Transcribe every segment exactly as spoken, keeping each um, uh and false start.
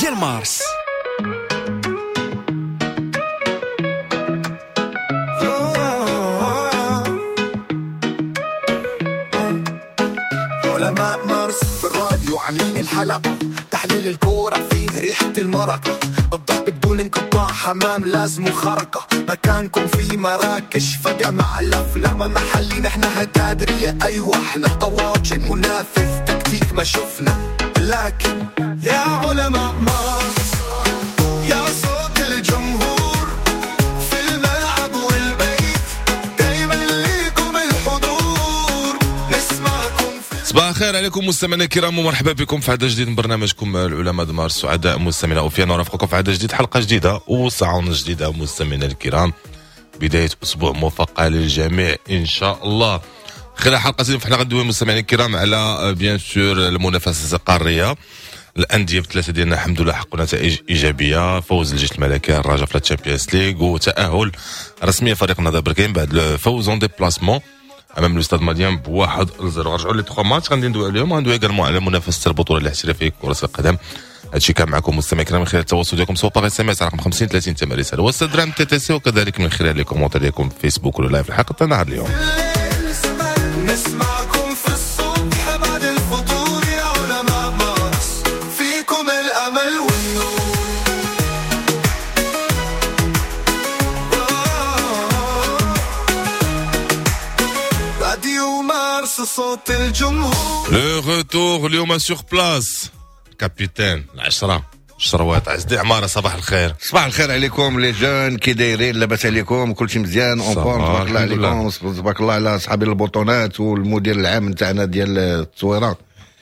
ديال مارس. علماء مارس في الراديو عاملين الحلقة، تحليل الكورة فيه ريحة المرقة، الضحك بدون انقطاع، حمام لازم خرقة، مكانكم في مراكش فجأة مع الأفلام محلي، نحن هتادرية أيوة احنا طواجن منافس تكتيك ما شفنا، لكن يا علماء مارس يا صوت الجمهور في الملعب والبيت، دايما ليكم الحضور نسمعكم. صباح الخير عليكم مستمعينا الكرام ومرحبا بكم في عدد جديد من برنامجكم العلماء د مارس. سعداء مستمعينا وفينا نرافقكم في عدد جديد، حلقة جديدة وساعة جديدة مستمعينا الكرام. بداية اسبوع موفقة للجميع ان شاء الله. خلال حلقة اليوم فحنا غندوي مستمعينا الكرام على bien sûr المنافسة القارية. الاندية بثلاثة ديالنا الحمد لله حققوا نتائج ايجابية، فوز الجيش الملكي الرجاء في ال Champions League وتاهل رسميا فريق النهضة بركان بعد الفوز en déplacement امام le Stade Malien بواحد لزيرو. رجعوا les trois matchs غادي ندوي عليهم، غندوي également على منافسه البطولة الاحترافية كره القدم. هادشي كان معكم مستمعي الكرام من خلال التواصل ديالكم سواء par SMS رقم خمسين ثلاثين ثمانية رسالة وستة TTC، وكذلك من خلال les commentaires ديالكم في فيسبوك ولا live الحلقة تاع نهار اليوم. نسمعكم في الصبح بعد الفطور يا علماء مارس، فيكم الامل والنور. راديو مارس صوت الجمهور. le retour اليوم sur place capitaine العشرة شروات عزدي عمارة. صباح الخير. صباح الخير عليكم les jeunes، كي دايرين؟ لاباس عليكم؟ كلشي مزيان؟ en forme تبارك الله عليكم، تبارك الله على اصحاب البطونات والمدير العام نتاعنا ديال التصويره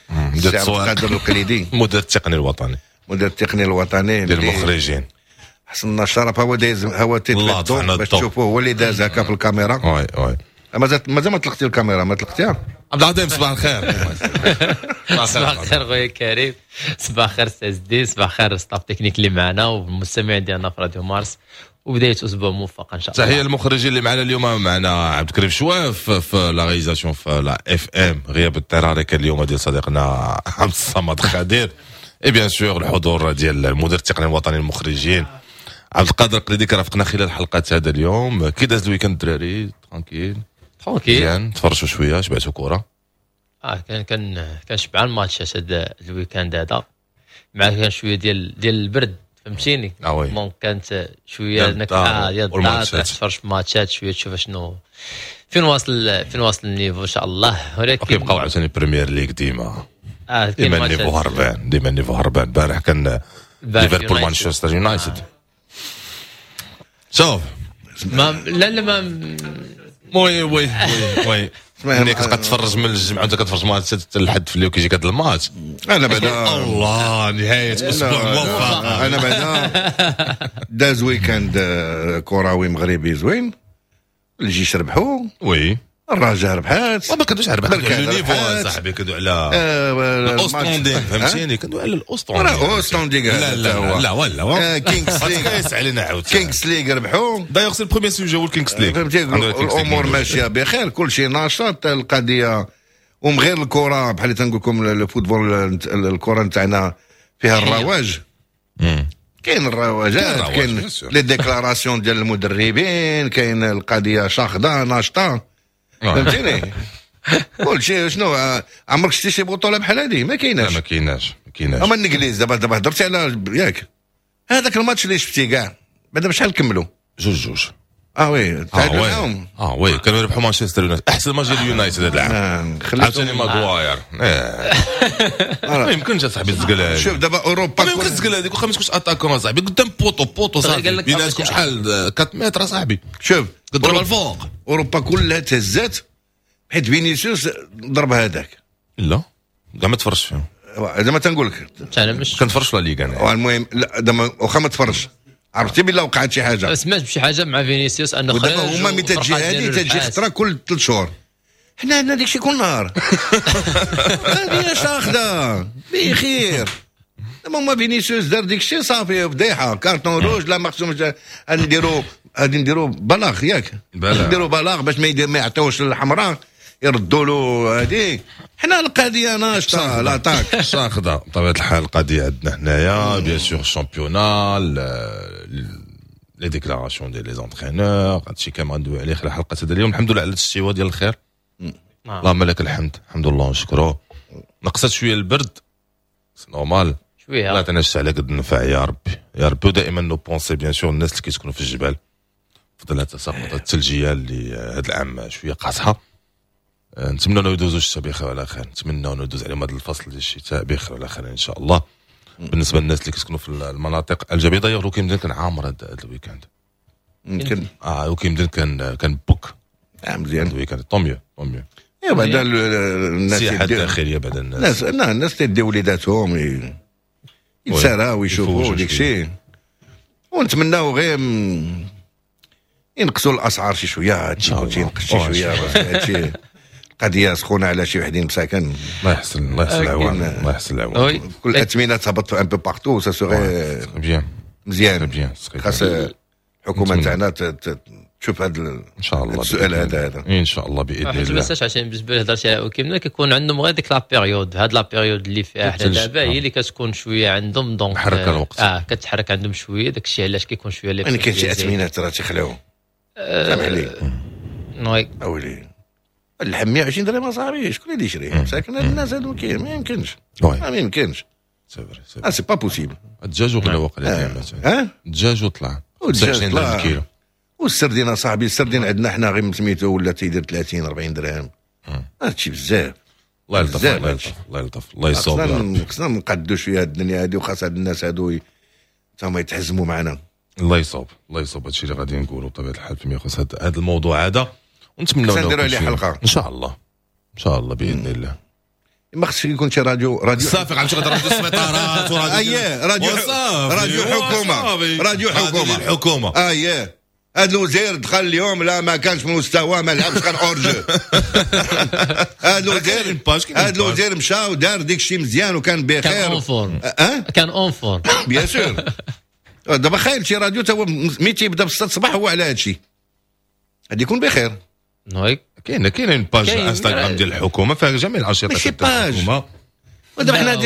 مدير السي عبد القادر القليدي، المدير التقني الوطني، المدير التقني الوطني ديال المخرجين. حصلنا الشرف، هو دايز، هو تيتفضل باش تشوفوه، هو اللي داز هكا في الكاميرا. oui oui مازال مازال ما طلقتي الكاميرا، ما طلقتيها. عبد العظيم صباح الخير. صباح الخير خويا كريم، صباح الخير سي الدين، صباح الخير staff technique اللي معنا والمستمعين ديالنا في راديو مارس، وبداية اسبوع موفق ان شاء الله. تحية للمخرجين اللي معنا اليوم، معنا عبد الكريم شواف في la réalisation في la FM، غياب اضطراري كان اليوم ديال صديقنا عبد الصمد خدير، et bien sûr الحضور ديال المدير التقني الوطني للمخرجين عبد القادر القليدي كرافقنا خلال حلقة هذا اليوم. كي داز ال week-end الدراري؟ tranquille tranquille، مزيان، تفرجوا شوية، شبعتوا كره؟ اه كان كان كان شبعان ماتشات هذا ال week-end هذا، مع كان شوية ديال ديال البرد فهمتيني. آه oui. donc كانت شوية ديال الدار ديال الدار، تفرج في ماتشات شوية، تشوف شنو فين واصل، فين واصل ال niveau ان شاء الله. ولكن كيبقاو عاوتاني Premier League ديما اه ديما ال niveau هربان، ديما ال niveau هربان. البارح كان ليفربول مانشستر يونايتد. شوف ما لا لا ما oui oui oui oui ملي كتبقى تفرج من الجمعة وانت كتفرج ماتش حتى لحد في الليل وكيجيك هذا الماتش. انا بعدا الله نهاية اسبوع موفق. انا بعدا داز week-end كروي مغربي زوين، الجيش ربحوا، oui الرجاء ربحات، ما كندوش على ربحات le niveau صاحبي، كندوي على ال outstanding فهمتيني، كندوي على ال outstanding. راه outstanding. لا لا لا ولا Kings League علينا عاوتاني، Kings League ربحوا. d'ailleurs c'est ال premier sujet هو ال Kings League فهمتي، الامور ماشية بخير، كل شيء ناشط القضية. ومن غير الكره بحال اللي تنقول لكم ال football، الكره نتاعنا فيها الرواج، كاين الرواجات، كاين les déclarations ديال المدربين، كاين القضية شاخده ناشطة فهمتيني. كل شيء. شنو عمرك شتي شي بطوله بحال هذه؟ ما كايناش، ما كايناش، ما كايناش. اما الانجليز دابا دابا هضرتي على ياك هذاك الماتش اللي شفتي كاع بعدا بشحال كملوا؟ جوج جوج. اه oui تعادلوا معاهم. اه oui كانوا يربحوا مانشستر يونايتد، احسن ماتش ديال يونايتد هذا العام. عاوتاني ماغواير ما يمكنش اصاحبي تزقل هذه. شوف دابا اوروبا ما يمكنش تزقل هذيك واخا ما تكونش attaquant صاحبي قدام poteau poteau صاحبي بيناتكم شحال أربعة متر صاحبي. شوف تضرب الفوق. اوروبا كلها تهزات حيت فينيسيوس ضرب هذاك. لا كاع ما تفرجش فيهم زعما تنقول لك انا مش كنتفرج في la Liga انا. المهم لا دابا واخا ما تفرجش عرفتي بلا وقعت شي حاجة، سمعت بشي حاجة مع فينيسيوس انه خرج. ودابا هما ملي تجي هذه تجي خطره كل ثلاث شهور، حنا عندنا داكشي كل نهار. هذه شاخده بخير. دابا هما فينيسيوس دار داكشي صافي فضيحة، carton rouge لا مخصوم نديرو غادي نديرو بلاغ ياك، نديرو بلاغ باش ما يدير ما يعطيوش الحمراء. يردوا له هذه. حنا القضية ناشطة l'attaque شاخده بطبيعة الحال. القضية عندنا حنايا bien sûr ال championnat، les déclarations ديال les entraîneurs، هادشي كامل غندوي عليه خلال حلقة هذا اليوم. الحمد لله على الشتيوه ديال الخير، اللهم لك الحمد، الحمد لله ونشكروه. نقصت شوية البرد، c'est normal. شويه. الله يعطينا الشتا على قد النفع يا ربي يا ربي. ودائما nos pensées bien sûr الناس اللي كيسكنوا في الجبال في ظل التساقطات الثلجيه اللي هذا العام شوية قاصحه. أه، نتمنى انه يدوزوا الشتاء بخير وعلى خير، نتمنى انه يدوز عليهم هذا الفصل ديال الشتاء بخير وعلى خير ان شاء الله. بالنسبة للناس اللي كيسكنوا في المناطق الجبليه، d'ailleurs وكيمدن كان عامر هذا ال week-end. يمكن. اه، وكيمدن كان كان بوك. آه، مزيان. ال week-end، tant mieux، tant mieux. ايوا بعدا الناس السياحة الداخلية بعد الناس الناس الناس تدي وليداتهم يتساراو ويشوفوا ديك الشيء، ونتمناو غير ينقصوا الاسعار شي شويه. هادشي كلشي ينقص شي شويه، هادشي القضية سخونة على شي وحدين مساكن. الله يحسن، الله يحسن العوان، الله يحسن العوان. كل الاثمنه تهبط un peu partout، ça serait bien. مزيان. bien. خاص الحكومة تاعنا تشوف هذا ان شاء الله. السؤال هذا هذا. ان شاء الله باذن الله. ما تنساش عشان بالنسبة لهضرتي على كيما كيكون عندهم غير ديك la période، هاد la période اللي فيها حنا دابا هي اللي كتكون شوية عندهم، donc حركة الوقت. اه، كتحرك عندهم شويه، داك الشيء علاش كيكون شوية لي يعني كاين شي اثمنه راه تيخلعوا، سامح لي. oui. اولي اللحم مية وعشرين درهم اصاحبي، شكون اللي يشري مساكن؟ الناس هادو ما يمكنش، ما يمكنش. c'est vrai. اه، c'est pas possible. الدجاج وغلا وقع. اه، الدجاج وطلع خمسة وعشرين درهم الكيلو. والسردين اصاحبي، السردين عندنا حنا غير سميتو ولا تيدير ثلاثين أربعين درهم، هادشي بزاف. الله يلطف، الله يلطف، الله يلطف، الله يصوب. خصنا خصنا نقادو شوية الدنيا هادي، وخاص هاد الناس هادو هما يتحزموا معنا. الله يصوب، الله يصوب، هادشي اللي غادي نقولوا بطبيعة الحال فيما يخص هذا الموضوع هذا، ونتمنوا نديروا عليه حلقه. ان شاء الله، ان شاء الله باذن الله. ما خصش يكون شي راديو راديو صافي، غنمشي غادي راديو السبيطارات وراديو اييه، راديو راديو حكومه، راديو حكومه. الحكومه. اييه، هذا الوزير دخل اليوم، لا ما كانش في مستوى، ما لعبش، كان hors-jeu. هذا الوزير هذا الوزير مشى ودار ديك الشيء مزيان وكان بخير. كان en forme. اه. كان en forme. bien sûr. دابا خايل شي راديو تا هو ملي تيبدا بالستة الصباح هو على هذا الشيء، غادي يكون بخير. oui. كاينه كاينه une page انستغرام ديال الحكومة فيها جميع الانشطة. ماشي page، ودابا حنا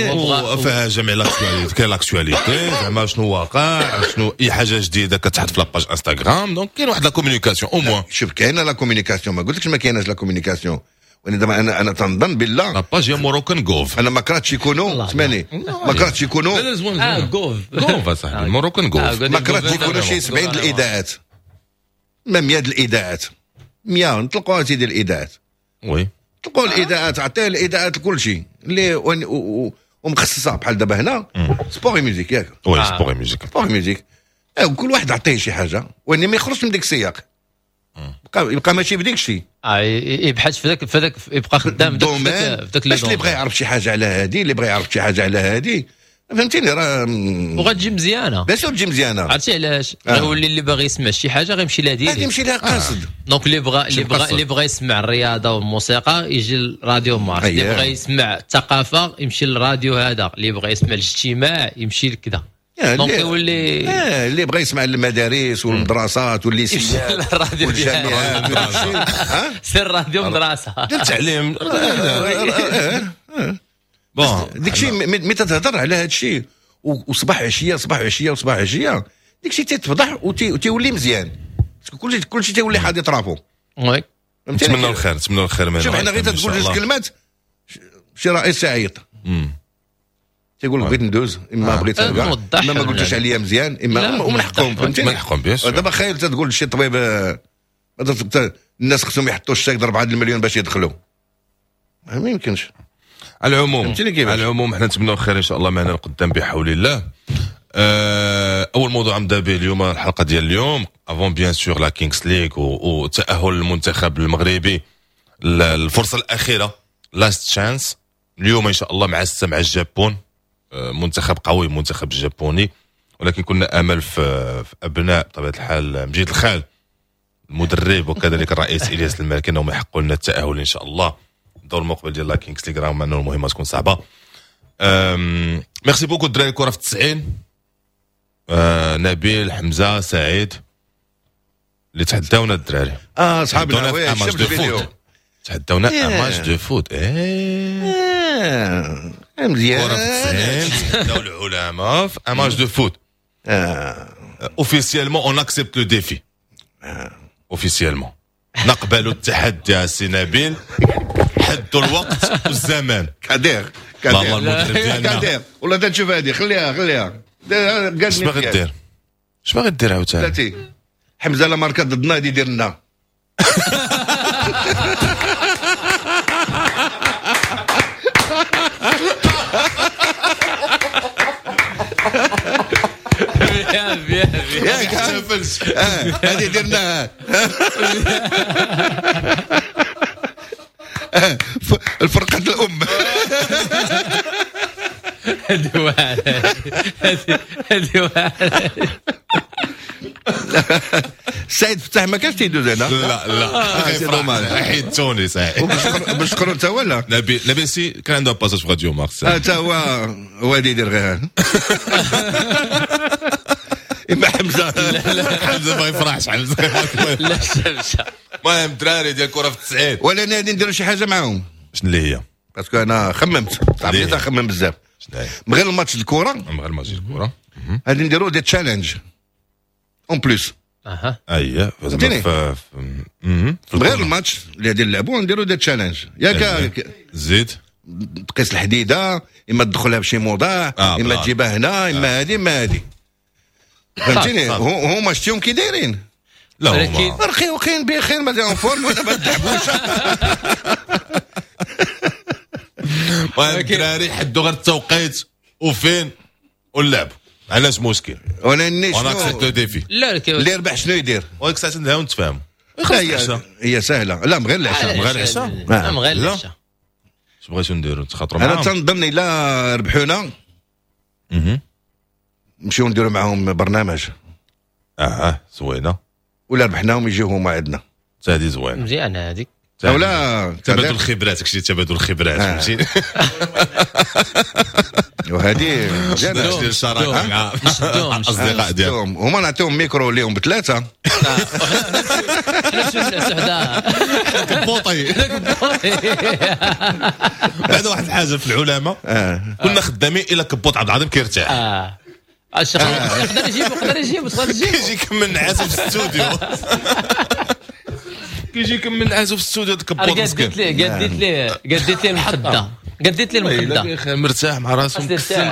فيها جميع l'actualité، كاين l'actualité زعما شنو واقع، شنو اي حاجة جديدة كتحط في la page انستغرام، donc كاين واحد la communication au moins. شوف، كاينه la communication، ما قلتلكش ما كايناش la communication، ولكن دابا انا انا تنظن بالله la page هي Moroccan gov. انا ما كرهتش يكونوا، اسمعني، ما كرهتش يكونوا لا لا. اه، gov. gov صاحبي، Moroccan gov. ما كرهتش يكونوا شي سبعين الاذاعات، ما مية الاذاعات، مية نطلقوها سيدي الاذاعات. oui. طلقوا الاذاعات، عطية الاذاعات كل شيء اللي ومخصصه، بحال دابا هنا sport musique، ياك؟ oui، sport musique. sport musique، كل واحد عطية شي حاجه، وان ما يخرجش من ديك السياق، يبقى يبقى ماشي في ديك الشيء. اه، يبحث في ذاك في ذاك، يبقى خدام في ذاك، باش اللي بغى يعرف شي حاجة على هادي، اللي بغى يعرف شي حاجة على هادي، فهمتيني؟ راه وغتجي مزيانه. باش تجي مزيانه. عرفتي علاش؟ آه. غيولي اللي باغي يسمع شي حاجة غيمشي لها direct. غيمشي لها قاصد. آه. donc اللي بغى اللي بغى اللي بغى يسمع الرياضة والموسيقى يجي للراديو مارس، اللي بغى يسمع الثقافة يمشي للراديو هذا، اللي بغى يسمع الاجتماع يمشي لكذا، donc يولي اه، اللي بغى يسمع المدارس والمدرسات والليسيات والجامعات، سير راديو مدرسه. ديال التعليم. bon، ديك الشيء ملي تتهضر على هذا الشيء وصباح عشيه، صباح عشيه، وصباح عشيه، ديك الشيء تيتفضح وتيولي مزيان، كلشي كلشي تيولي حادي طرافو. oui. نتمنى الخير، نتمنى الخير. شوف، حنا غير تقول جوج كلمات شي رئيس عيط تيقول بغيت ندوز، اما آه. بغيت اما ما قلتوش عليا مزيان، اما ومن حقهم، فهمتيني؟ من حقهم، bien sûr. دابا خايل تقول لشي طبيب آه، الناس خصهم يحطوا الشيك أربعة المليون باش يدخلوا، ما يمكنش. على العموم، على العموم حنا نتمنوا الخير ان شاء الله معنا القدام بحول الله. آه، اول موضوع نبدا به اليوم الحلقة ديال اليوم، avant bien sûr la Kings League وتاهل المنتخب المغربي، الفرصة الاخيره، last chance، اليوم ان شاء الله مع الستة مع الجابون. آه، منتخب قوي منتخب الجابوني، ولكن كنا امل في, في ابناء بطبيعة الحال مجيد الخال المدرب وكذلك الرئيس الياس المالكي انهم يحققوا لنا التاهل ان شاء الله الدور المقبل ديال la Kings League، رغم انه المهمة تكون صعبه. merci beaucoup الدراري، كره في تسعين. آه نبيل، حمزه، سعيد اللي تحداونا الدراري. اه، صحابنا، oui، شفت الفيديو. تحداونا un match de foot. ايه مزيان. كرة في التسعين تحداو العلماء في un match de foot. officiellement on accepte le défi. officiellement نقبل التحدي يا سي نبيل. حدوا الوقت والزمان. كادير كادير كادير والله تنشوف هذه خليها خليها. اش باغي دير؟ اش باغي دير عاوتاني؟ بلاتي حمزة لا ماركا ضدنا غادي يدير لنا. ياك احتفلت. هذه درناها الفرقة الأم. هذه واعرة هذه واعرة. سعيد فتح ما كانش تيدوز هنا. لا لا حيدتوني سعيد. بشكرو تا هو لا نبيل نبيل سي كان عنده passage في راديو مارس. تا هو هو اللي يدير غير اما حمزة. حمزة ما يفرحش. حمزة لا شمشه. المهم الدراري ديال الكره في التسعين ولا نادي نديرو شي حاجة معاهم. شنو اللي هي؟ parce que انا خممت عرفتي نخمم بزاف. شنو هي؟ من غير الماتش الكره من غير الماتش الكره غادي نديرو des challenges en plus. اها اييه زعما في غير الماتش اللي غادي نلعبو نديرو des challenges. ياك زيد تقيس الحديدة اما تدخلها بشي موضع اما تجيبها هنا اما هذه اما هذه. فهمتيني؟ هما شتيهم كي دايرين. لا هما رخيوقين بخير مازال en forme ولا ما تلعبوش. المهم الدراري حدوا غير التوقيت وفين ونلعبوا. علاش مشكل؟ وانا ني شنو accepte le défi. لا اللي ربح شنو يدير؟ وهيك ساعة نتهاو نتفاهموا. هي هي سهلة. لا من غير العشاء. من غير العشاء. من غير العشاء. اش بغيتو نديرو؟ نتخاطروا معاهم؟ انا تنظن الا ربحونا نمشيو نديرو معاهم برنامج. اه زوينة. ولا ربحناهم يجيو هما عندنا. حتى هذه زوينة. مزيانه هذيك. ولا تبادل الخبرات، كشي تبادل الخبرات فهمتيني. وهذه مزيانه الشراكة مع الاصدقاء ديالهم. هما نعطيهم ميكرو ليهم بثلاثة. كبوطي. بعد واحد الحاجة في العلماء كنا خدامين الى كبوط عبد العظيم كيرتاح. اه الشيخ يقدر يجيب يقدر يجيب يقدر يجيب كيجي يكمل نعاسو في الاستوديو. كيجي يكمل نعاسو في الاستوديو كبوط مسكين. قديت ليه قديت ليه قديت ليه المخدة قديت ليه المخدة. مرتاح مع راسو مكسل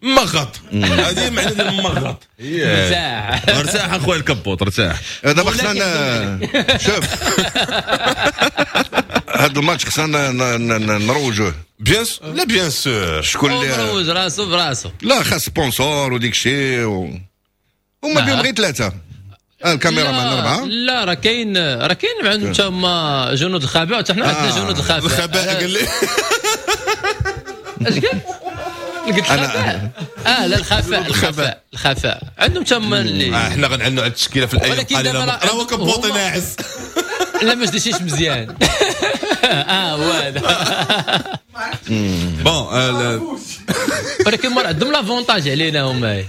مغط. هذه معنى ديال المغط. مرتاح مرتاح اخويا الكبوط ارتاح. دابا خصنا شوف هذا الماتش خصنا نروجوه. bien sûr لا bien sûr. شكون اللي مروج راسو براسو؟ لا خاص sponsor وديك الشيء و... هما بهم غير ثلاثة. الكاميرا مان اربعة. لا راه كاين راه كاين عندهم حتى هما جنود الخباء وحتى حنا عندنا جنود الخباء. الخباء قال لي اش قال؟ قلت الخفاء. اه لا الخفاء الخفاء الخفاء عندهم تما اللي آه حنا غنعلنوا على التشكيلة في الايام القليلة. راه هو كبوطي ناعس. لا ما شديتيش مزيان. اه هو هذا bon. ولكن ما عندهم l'avantage علينا هما.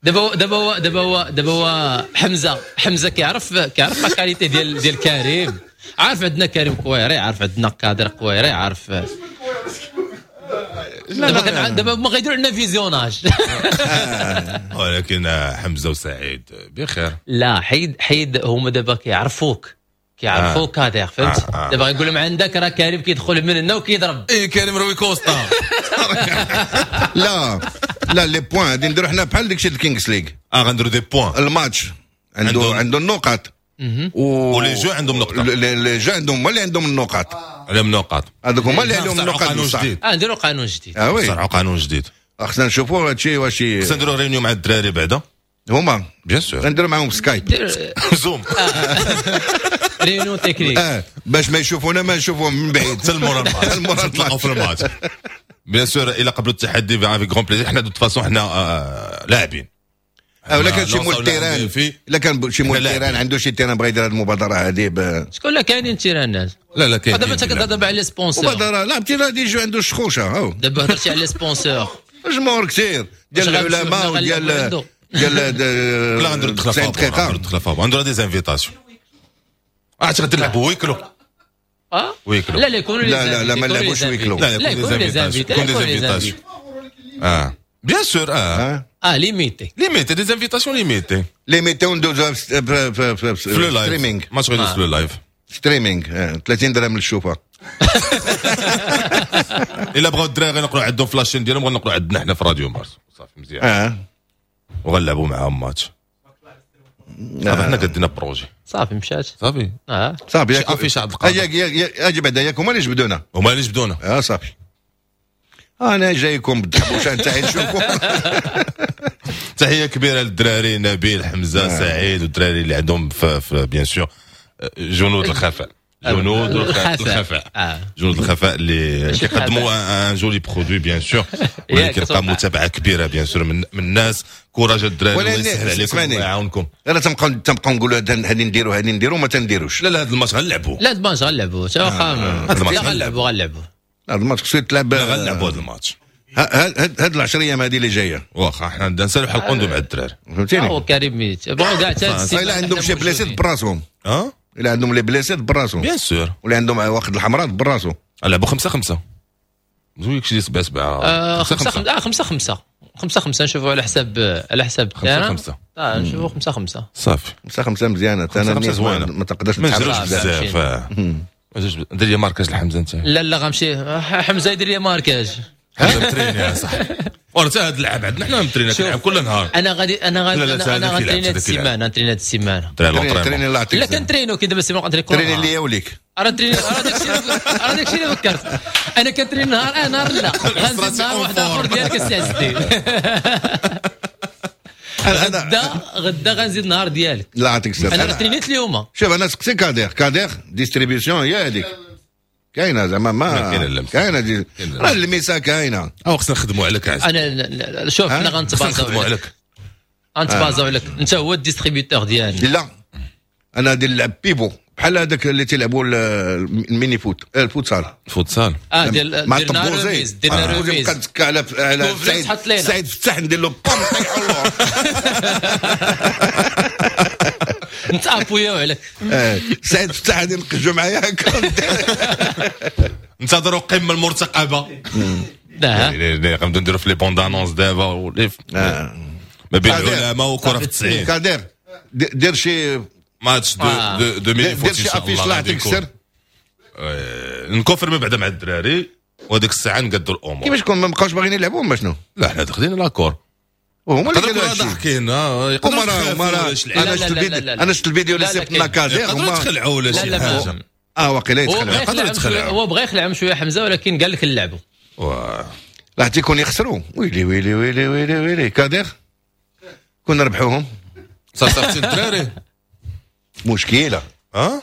دابا دابا دابا هو دابا هو حمزة حمزة كيعرف كيعرف la qualité ديال ديال كريم. عارف عندنا كريم كويري، عارف عندنا قادر كويري، عارف. دابا دابا هما غيديروا لنا visionnage. ولكن حمزة وسعيد بخير. لا حيد حيد هما دابا كيعرفوك كيعرفوك كادر فهمت. دابا غيقول لهم عندك راه كريم كيدخل من هنا وكيضرب. اي كريم روي كوستا. لا لا les points غادي نديرو حنا بحال داكشي ديال الكينغز ليغ. اه غنديرو des points. الماتش عنده عنده النقط و les jeux عندهم نقطة. les jeux عندهم هما اللي عندهم النقاط. عليهم النقاط هذوك هما اللي عليهم النقاط. قانون جديد. اه نديرو قانون جديد. اه oui صرعوا قانون جديد. خصنا نشوفوا هادشي واش خصنا نديرو réunion مع الدراري بعدا هما bien sûr. غنديرو معاهم سكايب زوم réunion technique اه باش ما يشوفونا ما نشوفوهم من بعيد حتى المورا الماتش نتلاقاو في الماتش bien sûr. الى قبلوا التحدي avec grand plaisir. حنا de toute façon حنا لاعبين. ولا كان شي مول terrain، الا كان شي مول terrain عنده شي terrain بغى يدير هذه المبادرة هذه. شكون لا كاينين terrain ات؟ لا لا كاين. دابا انت كتهضر دابا على les sponsors. مبادرة لا عرفتي راه déjà عنده الشخوشه هاو. دابا هضرتي على les sponsors. جمهور كثير ديال العلماء وديال ديال لا غنديرو الدخلة فابور. غنديرو الدخلة فابور، غنديرو des invitations. عرفتي غادي نلعبوا ويكلو. اه ويكلو. لا لا يكونوا لا لا لا ما نلعبوش ويكلو. لا لا يكونوا des invitations، يكونوا des invitations اه bien sûr اه اه limitées limitées des invitations limitées. limitées وندوزو في في في le live streaming. ماتش غيدوز في le live. streaming ثلاثين درهم للشوفه. الا بغاو الدراري غينقلوا عندهم في la chaîne ديالهم، غنقلوا عندنا حنا في راديو مارس، صافي مزيان. اه وغنلعبوا معاهم ماتش، صافي حنا قدينا projet. صافي مشات. صافي. اه. صافي. شي affiche عبد القادر. اجي بعدا، ياك هما اللي جبدونا؟ هما اللي جبدونا. اه صافي، انا جايكم بالدحبوشه نتاعي نشوفوا. تحية كبيرة للدراري، نبيل، حمزه، آه. سعيد، والدراري اللي عندهم في, في bien sûr جنود الخفاء، جنود الخفاء، الخفاء. آه. جنود الخفاء اللي كيقدموا un joli produit bien sûr، واللي كيلقى متابعه كبيرة bien sûr من, من الناس. courage الدراري، الله يسهل عليكم ويعاونكم. انا تنبقى تنبقى نقولوا هذه نديروا هذه نديروا، ما تنديروش. لا لا، هذا الماتش غنلعبوا. لا، هذا الماتش غنلعبوا، واخا هذا الماتش غنلعبوا غنلعبوا. هذا الماتش خصو يتلعب. غنلعبوا هذا الماتش. هاد العشر ايام هذه اللي جايه. واخا، حنا نسالوا حلقة مع الدراري. فهمتيني؟ هو كريم ميت بغاو كاع. الا عندهم شي blessés براسهم. اه الا عندهم les blessés براسهم. bien sûr. ولا عندهم واخد الحمراء براسو. لعبوا خمسة خمسة، زويك شي سبعة سبعة. خمسة خمسة، آه خمسة خمسة، خمسة خمسة، نشوفوا على حساب على حساب. خمسة خمسة. اه نشوفوا خمسة خمسة. صافي. خمسة خمسة مزيانة. خمسة خمسة زوينة. ما تقدرش. ما نجروش بزاف، ما نجروش. دير لي marquage لحمزة انت. لا لا، غنمشي حمزة يدير لي marquage. حمزة متريني يا صاحبي، وراه حتى هذا اللعب عندنا حنا مترينا، كنلعب كل نهار. انا غادي انا غادي انا انا غنتريني هاد السيمانه، نتريني هاد السيمانه. تريني الله يعطيك. لا، كنترينو كي دابا السيمانة غنتريني. تريني ليا وليك. راه تريني، راه داكشي راه داكشي اللي فكرت، انا كنتريني نهار اه نهار لا، غنزيد نهار واحد اخر ديالك السي عز الدين. غدا غدا غنزيد نهار ديالك. لا يعطيك الصحة. انا ترينيت اليوم. شوف، انا سقسي كادير، كادير distribution هي هذيك كاينه زعما ما كاينه دي راه الميسا كاينه. او خصنا نخدموا عليك عز. انا شوف، حنا غنتبازاو عليك. غنتبازاو عليك، انت هو ال distributeur ديالنا. لا، انا غادي نلعب pivot بحال هذاك اللي تيلعبوا ال mini-foot، ال futsal. فوتسال. اه ديال مع درنا remise، درنا remise. نبقى نتكا على على سعيد، سعيد فتح ندير له بام طيحوا اللور. نتابويو عليك. سعيد فتح غادي نقجو معايا هكا. انتظروا القمه المرتقبه. لا. غنبداو نديرو في les bandes annonces دابا ما بين العلماء وكره في التسعين. كادير، دير شي ماتش de de de mini-foot. دير شي affiche الله يعطيك السر. نكونفيرمي بعدا مع الدراري وهذيك الساعة نقدوا الامور. كيفاش كون ما بقاوش باغيين يلعبوا ما شنو؟ لا، حنا دخلنا l'accord. وهما اللي قالوا هادشي ضاحكين، يقدروا. هما انا شفت الفيديو، انا شفت الفيديو اللي صيفط كازير. يقدروا يتخلعوا ولا شي حاجه. اه واقيلا يتخلعوا. يقدروا يتخلعوا. هو بغى يخلعهم شوية حمزه، ولكن قال لك نلعبوا. لا تيكون يخسروا، ويلي ويلي ويلي ويلي ويلي كادير كنا ربحوهم. صافي الدراري. مشكله. اه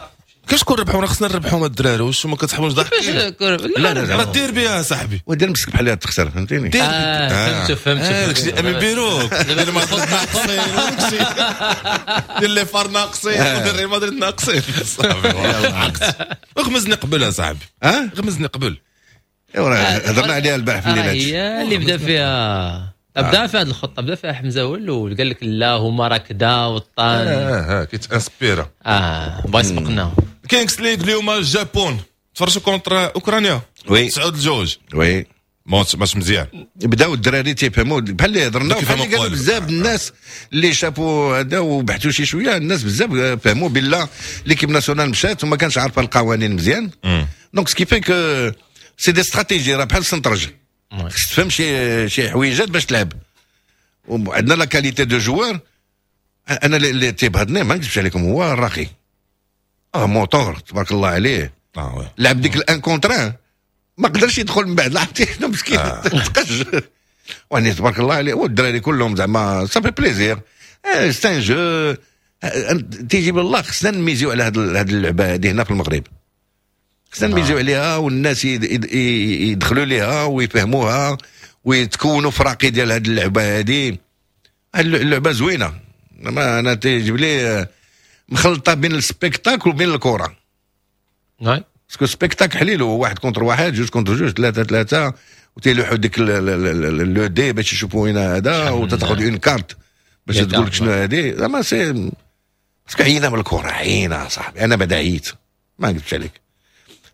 كيفاش كون ربحونا؟ خصنا نربحوهم الدراري، واش ما كتحبوش ضحكين؟ لا لا، دير بها صاحبي. ودير مسك بحال تخسر، فهمتيني؟ دير. آه فهمت فهمت. داكشي امين بيروك دير مدريد ناقصين، وداكشي دير les FAR ناقصين، ودير ريال مدريد ناقصين، صافي عقت. غمزني قبل صاحبي. اه غمزني قبل. ايوا هضرنا عليها البارح في الليل. هي اللي بدا فيها، بدا في هذه الخطة بدا فيها حمزة هو الاول، قال لك لا هما راه كدا والطان. اه اه كيتانسبيرا. اه بغا يسبقنا. كينغز ليغ اليوم الجابون، تفرجوا contre اوكرانيا. oui. تسعة لجوج. oui. ماتش ماتش مزيان. بداو الدراري تيفهموا بحال اللي هضرنا، بحال اللي قالوا بزاف الناس اللي شافوا هذا وبحثوا شي شويه، الناس بزاف فهموا بلا l'équipe nationale مشات وما كانش عارفه القوانين مزيان، donc ce qui fait que c'est des stratégies، راه بحال السنترج، خصك تفهم شي شي حويجات باش تلعب، وعندنا la qualité de joueurs. انا اللي تيبهضني ما نكذبش عليكم هو الراقي، اه موتور تبارك الله عليه. اه oui. لعب ديك ال un contre un ما قدرش يدخل من بعد، لعبتي شنو مسكين آه. تقج، واني تبارك الله عليه، والدراري كلهم زعما ça fait plaisir، c'est un jeu تيجي بالله. خصنا نميزيو على هاد اللعبة هذه هنا في المغرب، خصنا نميزيو عليها والناس يدخلوا ليها ويفهموها ويتكونوا فراقي ديال هاد اللعبة هذه. اللعبة زوينه، ما انا تيجيب لي مخلطه بين ال spectacle وبين الكره. نعم. parce que spectacle حليلو، واحد contre واحد، جوج contre جوج، ثلاثة ثلاثة، وتيلوحوا ديك le dé باش يشوفوا وين هذا، وتاخذ une carte باش تقول لك شنو هذه. زعما c'est parce que عينا من الكره، عينا صاحبي. انا بعدا عييت، ما نكذبش عليك.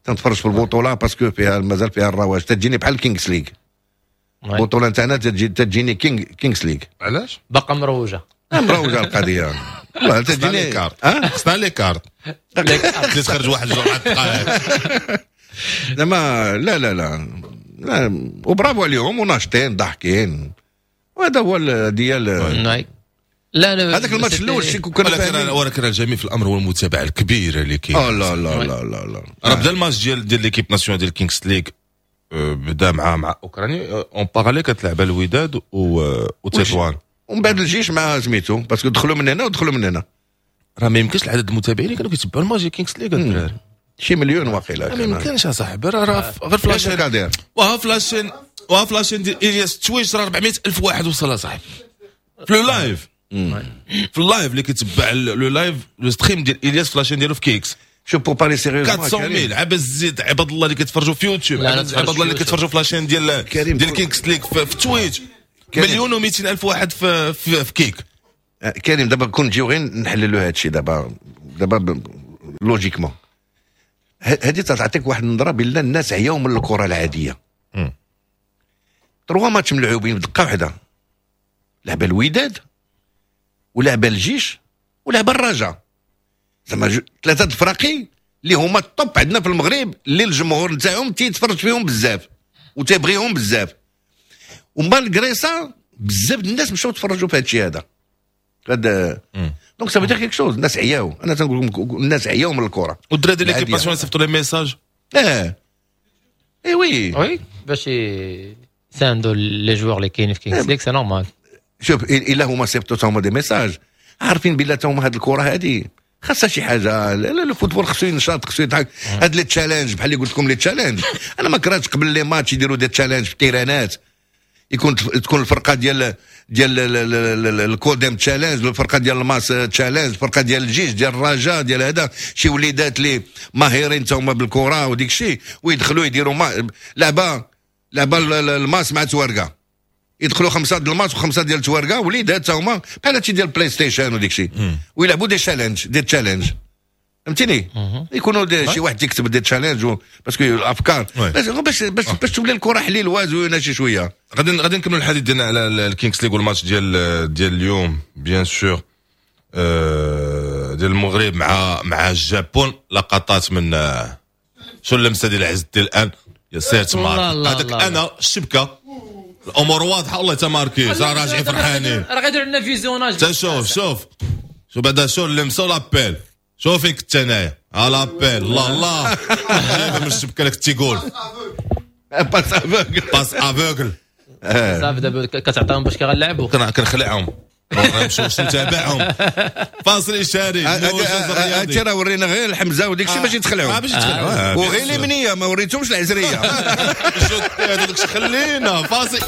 تنتفرج في البطولة parce que فيها مازال فيها الرواج، تجيني بحال Kings League. البطولة نتاعنا تجي تجيني King Kings League. علاش؟ باقا مروجه. مروجه القضية والله تجيني les cartes، خصنا les cartes اللي تخرج واحد جوج دقائق. زعما لا لا لا لا، وبرافو عليهم وناشطين ضاحكين، وهذا هو ديال لا لا هذاك الماتش الاول شي كنا ولكن ولكن الجميل في الامر هو المتابعة الكبيرة اللي كاين. اه لا لا لا لا لا راه بدا الماتش ديال ديال l'équipe nationale ديال Kings League، بدا مع مع اوكرانيا en parallèle كتلعب الوداد وتطوان، ومن بعد الجيش مع سميتو parce que دخلوا من هنا ودخلوا من هنا. راه ما يمكنش العدد المتابعين اللي كانوا كيتبعوا الماتش ديال Kings League الدراري شي مليون واقيلا. ما يمكنش اصاحبي، راه غير في la chaîne وها في la chaîne وها في la chaîne ديال الياس Twitch راه أربعمية ألف واحد وصل اصاحبي في le live، في ال live اللي كيتبع le live le stream ديال الياس في la chaîne ديالو في Kick. شوف pour parler sérieusement أربعمية ألف عباد الزيد، عباد الله اللي كيتفرجوا في يوتيوب، عباد الله اللي كيتفرجوا في la chaîne ديال ديال Kings League في, في Twitch، مليون ومئتين ألف واحد في في, في Kick. كريم دابا كون نجيو غير نحللوا هذا الشيء دابا دابا logiquement هذه تعطيك واحد النظرة بان الناس عياو من الكره العادية. trois matchs ملعوبين بدقة واحدة، لعبه الوداد ولعبه الجيش ولعبه الرجاء، زعما ثلاثة الفراقي اللي هما ال top عندنا في المغرب، اللي الجمهور نتاعهم تيتفرج فيهم بزاف وتيبغيهم بزاف، و malgré ça بزاف الناس مشاو تفرجوا في هذا الشيء هذا. هذا donc ça veut dire quelque chose. الناس عياو، انا تنقول لكم الناس عياو من الكره. والدراري ديال l'équipe nationale صيفطوا les messages. اه eh oui oui باش يساندوا les joueurs اللي كاينين في Kings League، c'est normal. شوف الا هما صيفطوا تا هما des messages عارفين بلا تا هما هاد الكره هادي خاصها شي حاجة. ال football خصو ينشط، خصو يضحك. هاد les challenges بحال اللي قلت لكم les challenges، انا ما كرهتش قبل les matchs يديروا des challenges في التيرانات، يكون تكون الفرقة ديال ديال الكوديم challenge، الفرقة ديال الماس challenge، الفرقة ديال الجيش ديال الرجاء ديال هذا، شي وليدات اللي ماهرين تا هما بالكرة وديك الشيء، ويدخلوا يديروا ما لعبه لعبه الماس مع توارقه، يدخلوا خمسة ديال الماس وخمسة ديال توارقه وليدات تا هما بحال هادشي ديال PlayStation وديك الشيء، ويلعبوا des challenges des challenges فهمتيني؟ يكونوا شي واحد يكتب des challenges parce que الافكار باش باش باش, باش تولي الكره حليلوه زوينة شي شوية. غادي غادي نكملوا الحديث ديالنا على ال Kings League والماتش ديال ديال اليوم bien sûr ديال المغرب مع مع الجابون. لقطات من شو اللمسة ديال عز الدين الان يا سير تمارك هذاك انا الشبكة الامور واضحة والله تماركي راجعين فرحانين، راه غيديروا لنا visionnage. تا شوف شوف شوف بعدا شو اللمسة و l'appel، شوف فين كنت انايا على l'appel. الله الله جايبه من الشبكة لك تيقول passe aveugle passe aveugle صافي. دابا كتعطيهم باش كيغنلعبوا كنخلعهم نمشيو نتابعهم. فاصل اشاري. هادشي راه ورينا غير الحمزة وديك الشيء باش يتخلعوا، باش يتخلعوا، وغير اليمنية ما وريتهمش العزريه. هذاك خلينا فاصل.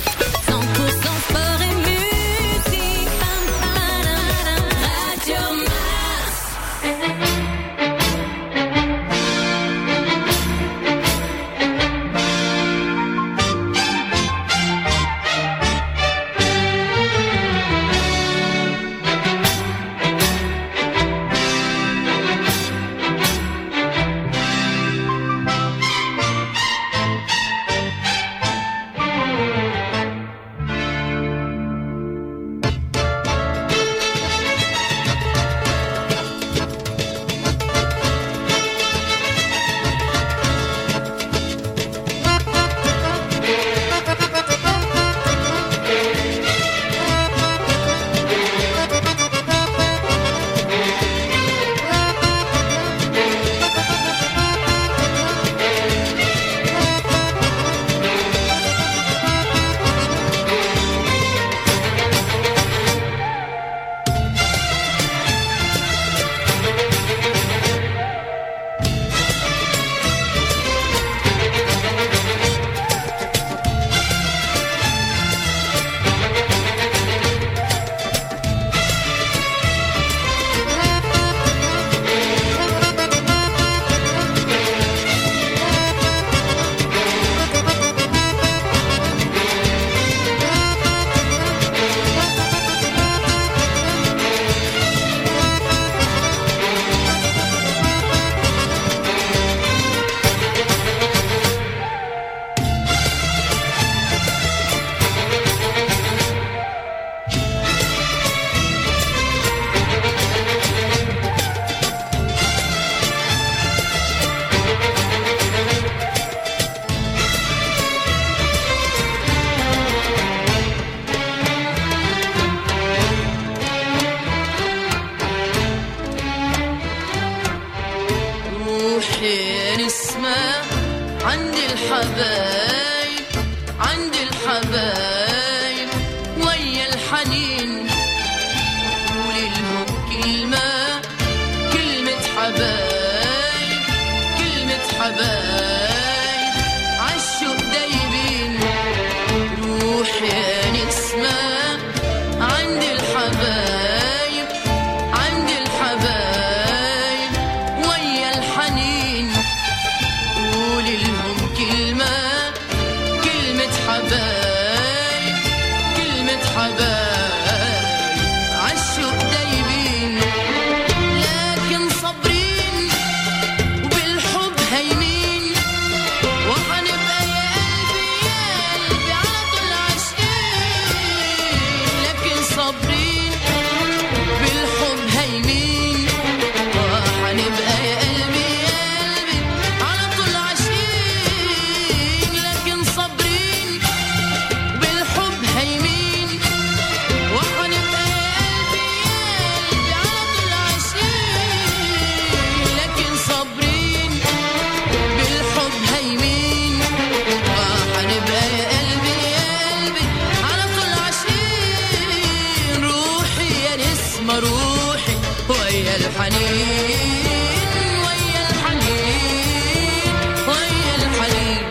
روحي نسمة عند الحبايب، عند الحبايب ويا الحنين، قولي لهم كلمة، كلمة حبايب، كلمة حبايب عالشوق دايبين. روحي نسمة عند الحبايب، عند الحبايب ويا الحنين، قولي لهم كلمة، كلمة حبايب، كلمة حبايب عالشوق دايبين. لكن صابرين وبالحب هايمين، وحنبقى يا قلبي يا قلبي على طول عاشقين. لكن صابرين بالحب هايمين، وحنبقى يا قلبي يا قلبي على طول عاشقين. لكن صابرين بالحب هايمين، وحنبقى يا قلبي يا قلبي على طول عاشقين. لكن صابرين بالحب هايمين، وحنبقى يا قلبي يا قلبي على طول عاشقين. روحي يا نسمة روحي ويا الحنين، ويا الحنين، ويا الحنين.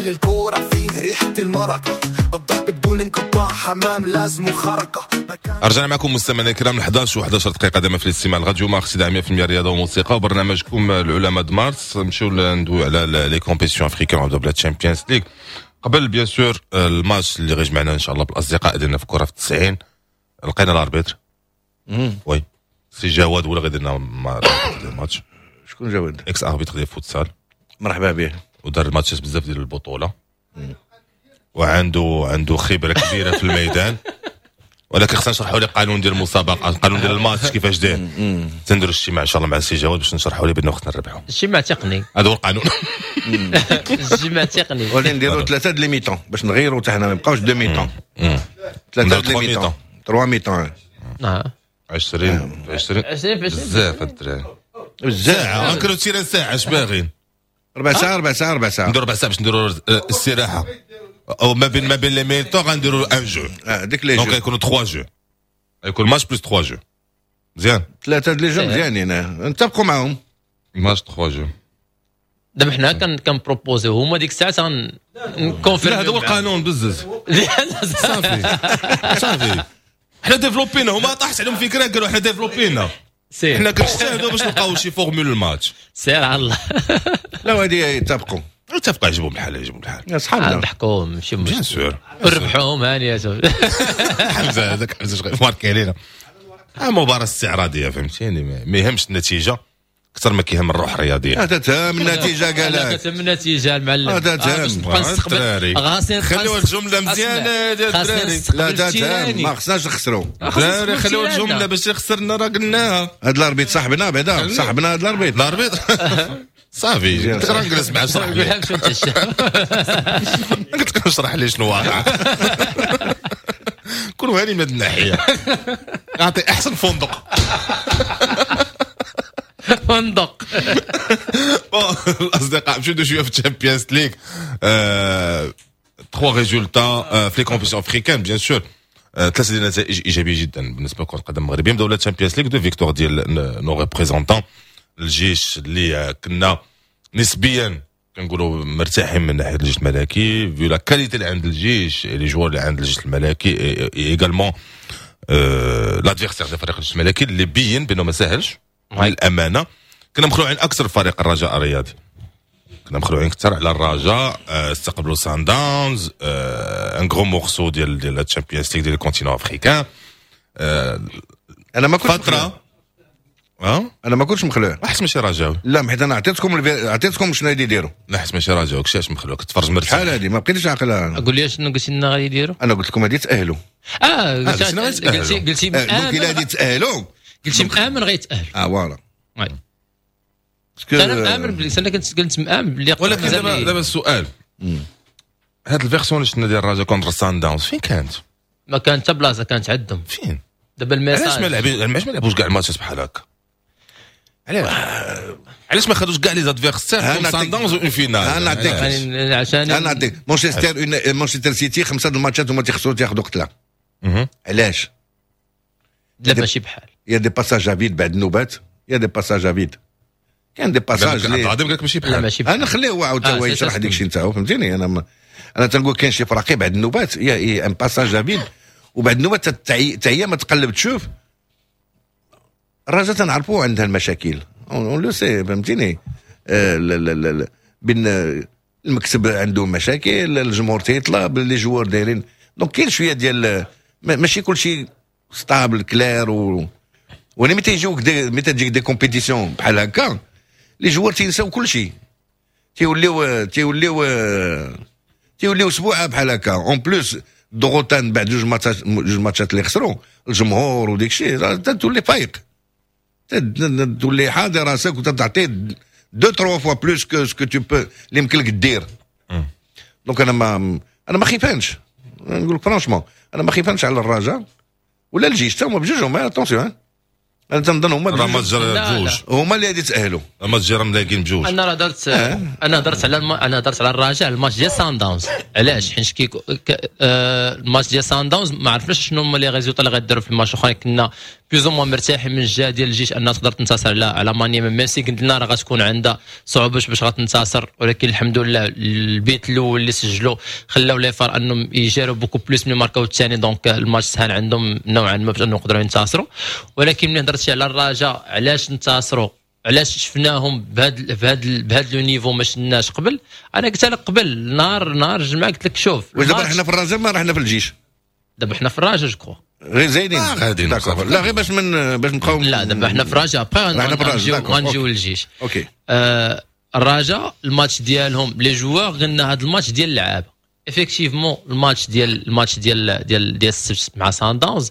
الكورة فيه ريحة المرقة، الضرب بدون انقطاع، حمام لازم خرقة. رجعنا معكم مستمعينا الكرام احداش و احداش دقيقة دائما في الاستماع الراديو مارس مية بالمية رياضة وموسيقى وبرنامجكم العلماء د مارس. نمشيو ندويو على les compétitions africaines ونبداو ب la Champions League. قبل bien sûr الماتش اللي غيجمعنا ان شاء الله بالاصدقاء ديالنا في كره في التسعين، لقينا l'arbitre oui سي جواد ولا غيدير لنا الماتش. شكون جواد؟ ex-arbitre ديال فوتسال، مرحبا به، ودار الماتشات بزاف ديال البطولة وعنده عنده خبره كبيرة في الميدان، ولكن خصنا نشرحوا ليه قانون ديال المسابقة، القانون ديال الماتش كيفاش داير. تنديروا اجتماع ان شاء الله مع السي جواد باش نشرحوا ليه بانه خصنا نربحوا. اجتماع تقني، هذا هو القانون. اجتماع تقني، ولكن نديروا ثلاثة د les mi-temps باش نغيروا حتى حنا ما نبقاوش deux mi-temps، ثلاثة د les mi-temps، trois mi-temps. اه عشرين عشرين عشرين بزاف الدراري، بزاف. غنكرو terrain ساعة، اش باغيين؟ ربع ساعة ربع ساعة ربع ساعة، نديرو ربع ساعة باش نديرو الاستراحة، او ما بين ما بين les mi-temps غنديرو un jeu. اه ديك les jeux، donc يكونوا ثلاثة jeux، يكون match plus ثلاثة jeux. مزيان، ثلاثة les jeux مزيانين، نتفقوا معاهم ماتش ثلاثة jeux. دابا حنا كن proposer يو هما ديك الساعة ن confirmer. لا هذا هو القانون بزز. صافي صافي حنا développ ينا، هما طاحت عليهم فكرة قالوا حنا développ ينا، حنا كنجتهدوا باش نلقاو شي formule الماتش. سير على الله. لا وهذه يتفقوا اتفقوا، يعجبهم الحال، يعجبهم الحال اصحابنا، نضحكوا ماشي bien sûr، ربحوهم هانيه. حمزة هذاك حمزة شغال marqué علينا. مباراة استعراضيه فهمتيني، ما يهمش النتيجة اكثر ما كيهم الروح الرياضية. هذا تهم النتيجة، قال لك تهم النتيجة المعلم، هذا تهم. خليو الجملة مزيانه ديال الدراري، لا تهم، ما خصناش نخسروا الدراري، خليو الجملة باش خسرنا راه قلناها. هذا l'arbitre صاحبنا بعدا، صاحبنا هذا l'arbitre l'arbitre صافي قلت راه نجلس معاه نشرح ليه، قلت لك نشرح ليه شنو واقع. كونوا هاني من هذه الناحية، نعطي احسن فندق فندق. الاصدقاء مشيو شوية في ال Champions League، trois résultats في les compétitions africaines bien sûr، ثلاثة ديال النتائج ايجابية جدا بالنسبة لكرة القدم المغربية. نبداو la Champions League، deux victoires ديال nos représentants الجيش اللي كنا نسبيا كنقولوا مرتاحين من ناحية الجيش الملكي vu la qualité اللي عند الجيش، les joueurs اللي عند الجيش الملكي، également l'adversaire ديال فريق الجيش الملكي اللي بين بانه ما ساهلش للامانة. كنا مخلوعين اكثر فريق الرجاء الرياضي، كنا مخلوعين اكثر على الرجاء. استقبلوا سان داونز، un gros morceau ديال ديال ال Champions League ديال ال continent africain. انا ما كنتش فترة اه انا ما كنتش مخلوع، حيت ماشي رجاوي. لا حيت انا عطيتكم الفي... عطيتكم شنو غادي يديروا. لا حيت ماشي رجاوي، كشاش مخلوع كتفرج مرتاح. شحال هادي ما بقيتش عاقلة. قول لي شنو قلتي لنا غادي يديروا؟ انا قلت لكم غادي يتاهلوا. اه قلتي قلتي قلتي donc الا غادي يتاهلوا قلتي مآمن غيتاهل. اه voilà. oui انا مآمن بلي انا كنت كنت مآمن بلي. ولكن دابا دابا السؤال، هاد ال version اللي شفنا ديال الرجاء contre سان داونز فين كانت؟ ما كانت حتى بلاصة، كانت عندهم. فين؟ دابا ال message علاش ما لعبين، علاش ما لعبوش كاع الماتشات بحال هكا؟ علاش علاش ما خدوش كاع les adversaires سان داونز une finale؟ انا نعطيك عشان انا نعطيك مانشستر مانشستر سيتي خمسة الماتشات هما تيخسروا تياخذوا قتله. علاش؟ لا ماشي بحال. y a des passages à vide بعد النوبات، y a des passages à vide، كاين des passages اللي عبد العظيم قال لك ماشي بحال. لا ماشي بحال. انا خليه هو عاود هو يشرح ديك الشيء نتاعو فهمتيني. انا م... انا تنقول كاين شي فراقي بعد النوبات y a un passage à vide، وبعد النوبات حتى هي ما تقلب تشوف. الرجاء تنعرفوا عندها المشاكل، on le sait فهمتيني. بين المكتب عنده مشاكل، الجمهور تيطلب، les joueurs دايرين، donc كاين شوية ديال ماشي كلشي stable clair. و وانا ملي تيجيوك ملي تجيك des compétitions بحال هكا les joueurs تينساو كلشي، تيوليو تيوليو تيوليو سبوعه بحال هكا. en plus ضغوطان بعد جوج ماتشات جوج ماتشات اللي خسروا الجمهور وديك الشيء، تولي فايق، تولي حاضر راسك وتعطي deux trois fois plus que ce que tu peux اللي يمكن لك دير. donc انا ما انا ما خيفانش، نقول لك franchement انا ما خيفانش على الرجاء ولا الجيش حتى هما بجوجهم. attention انا تنظن هما راه ماتش بجوج هما اللي غادي يتاهلوا. ماتش راه ملاقين بجوج. انا راه درت آه. انا هضرت على الم... انا هضرت على الرجاء الماتش ديال سان داونز. علاش؟ حيت كي ك... آه الماتش ديال سان داونز ما عرفناش شنو هما les résultats اللي غيديروا في الماتش الاخرين. كنا plus ou moins مرتاحين من الجهة ديال الجيش انها تقدر تنتصر على على مانيما، même si قلت لنا راه غتكون عندها صعوبة باش غتنتصر، ولكن الحمد لله البيت الاول اللي سجلوا خلاو les FAR انهم يجاروا beaucoup plus من ماركاو الثاني، donc الماتش سهل عندهم نوعا ما باش انهم يقدروا ينتصروا. ولكن ملي هضرتي على الرجاء، علاش انتصروا؟ علاش شفناهم بهذا بهذا بهذا le niveau ما شفناش قبل؟ انا قلت لك قبل نهار نهار الجمعه، قلت لك شوف. واش دابا حنا في الرجاء ما رحنا في الجيش؟ دابا حنا في الرجاء je crois. غير زايدين. آه غاديين. لا، غير باش من باش نبقاو. لا، دابا حنا في الرجاء، après غنجيو للجيش. OK. آه الرجاء الماتش ديالهم، les joueurs، قلنا هذا الماتش ديال اللعابه. effectivement الماتش ديال الماتش ديال ديال ديال السبت مع سان داونز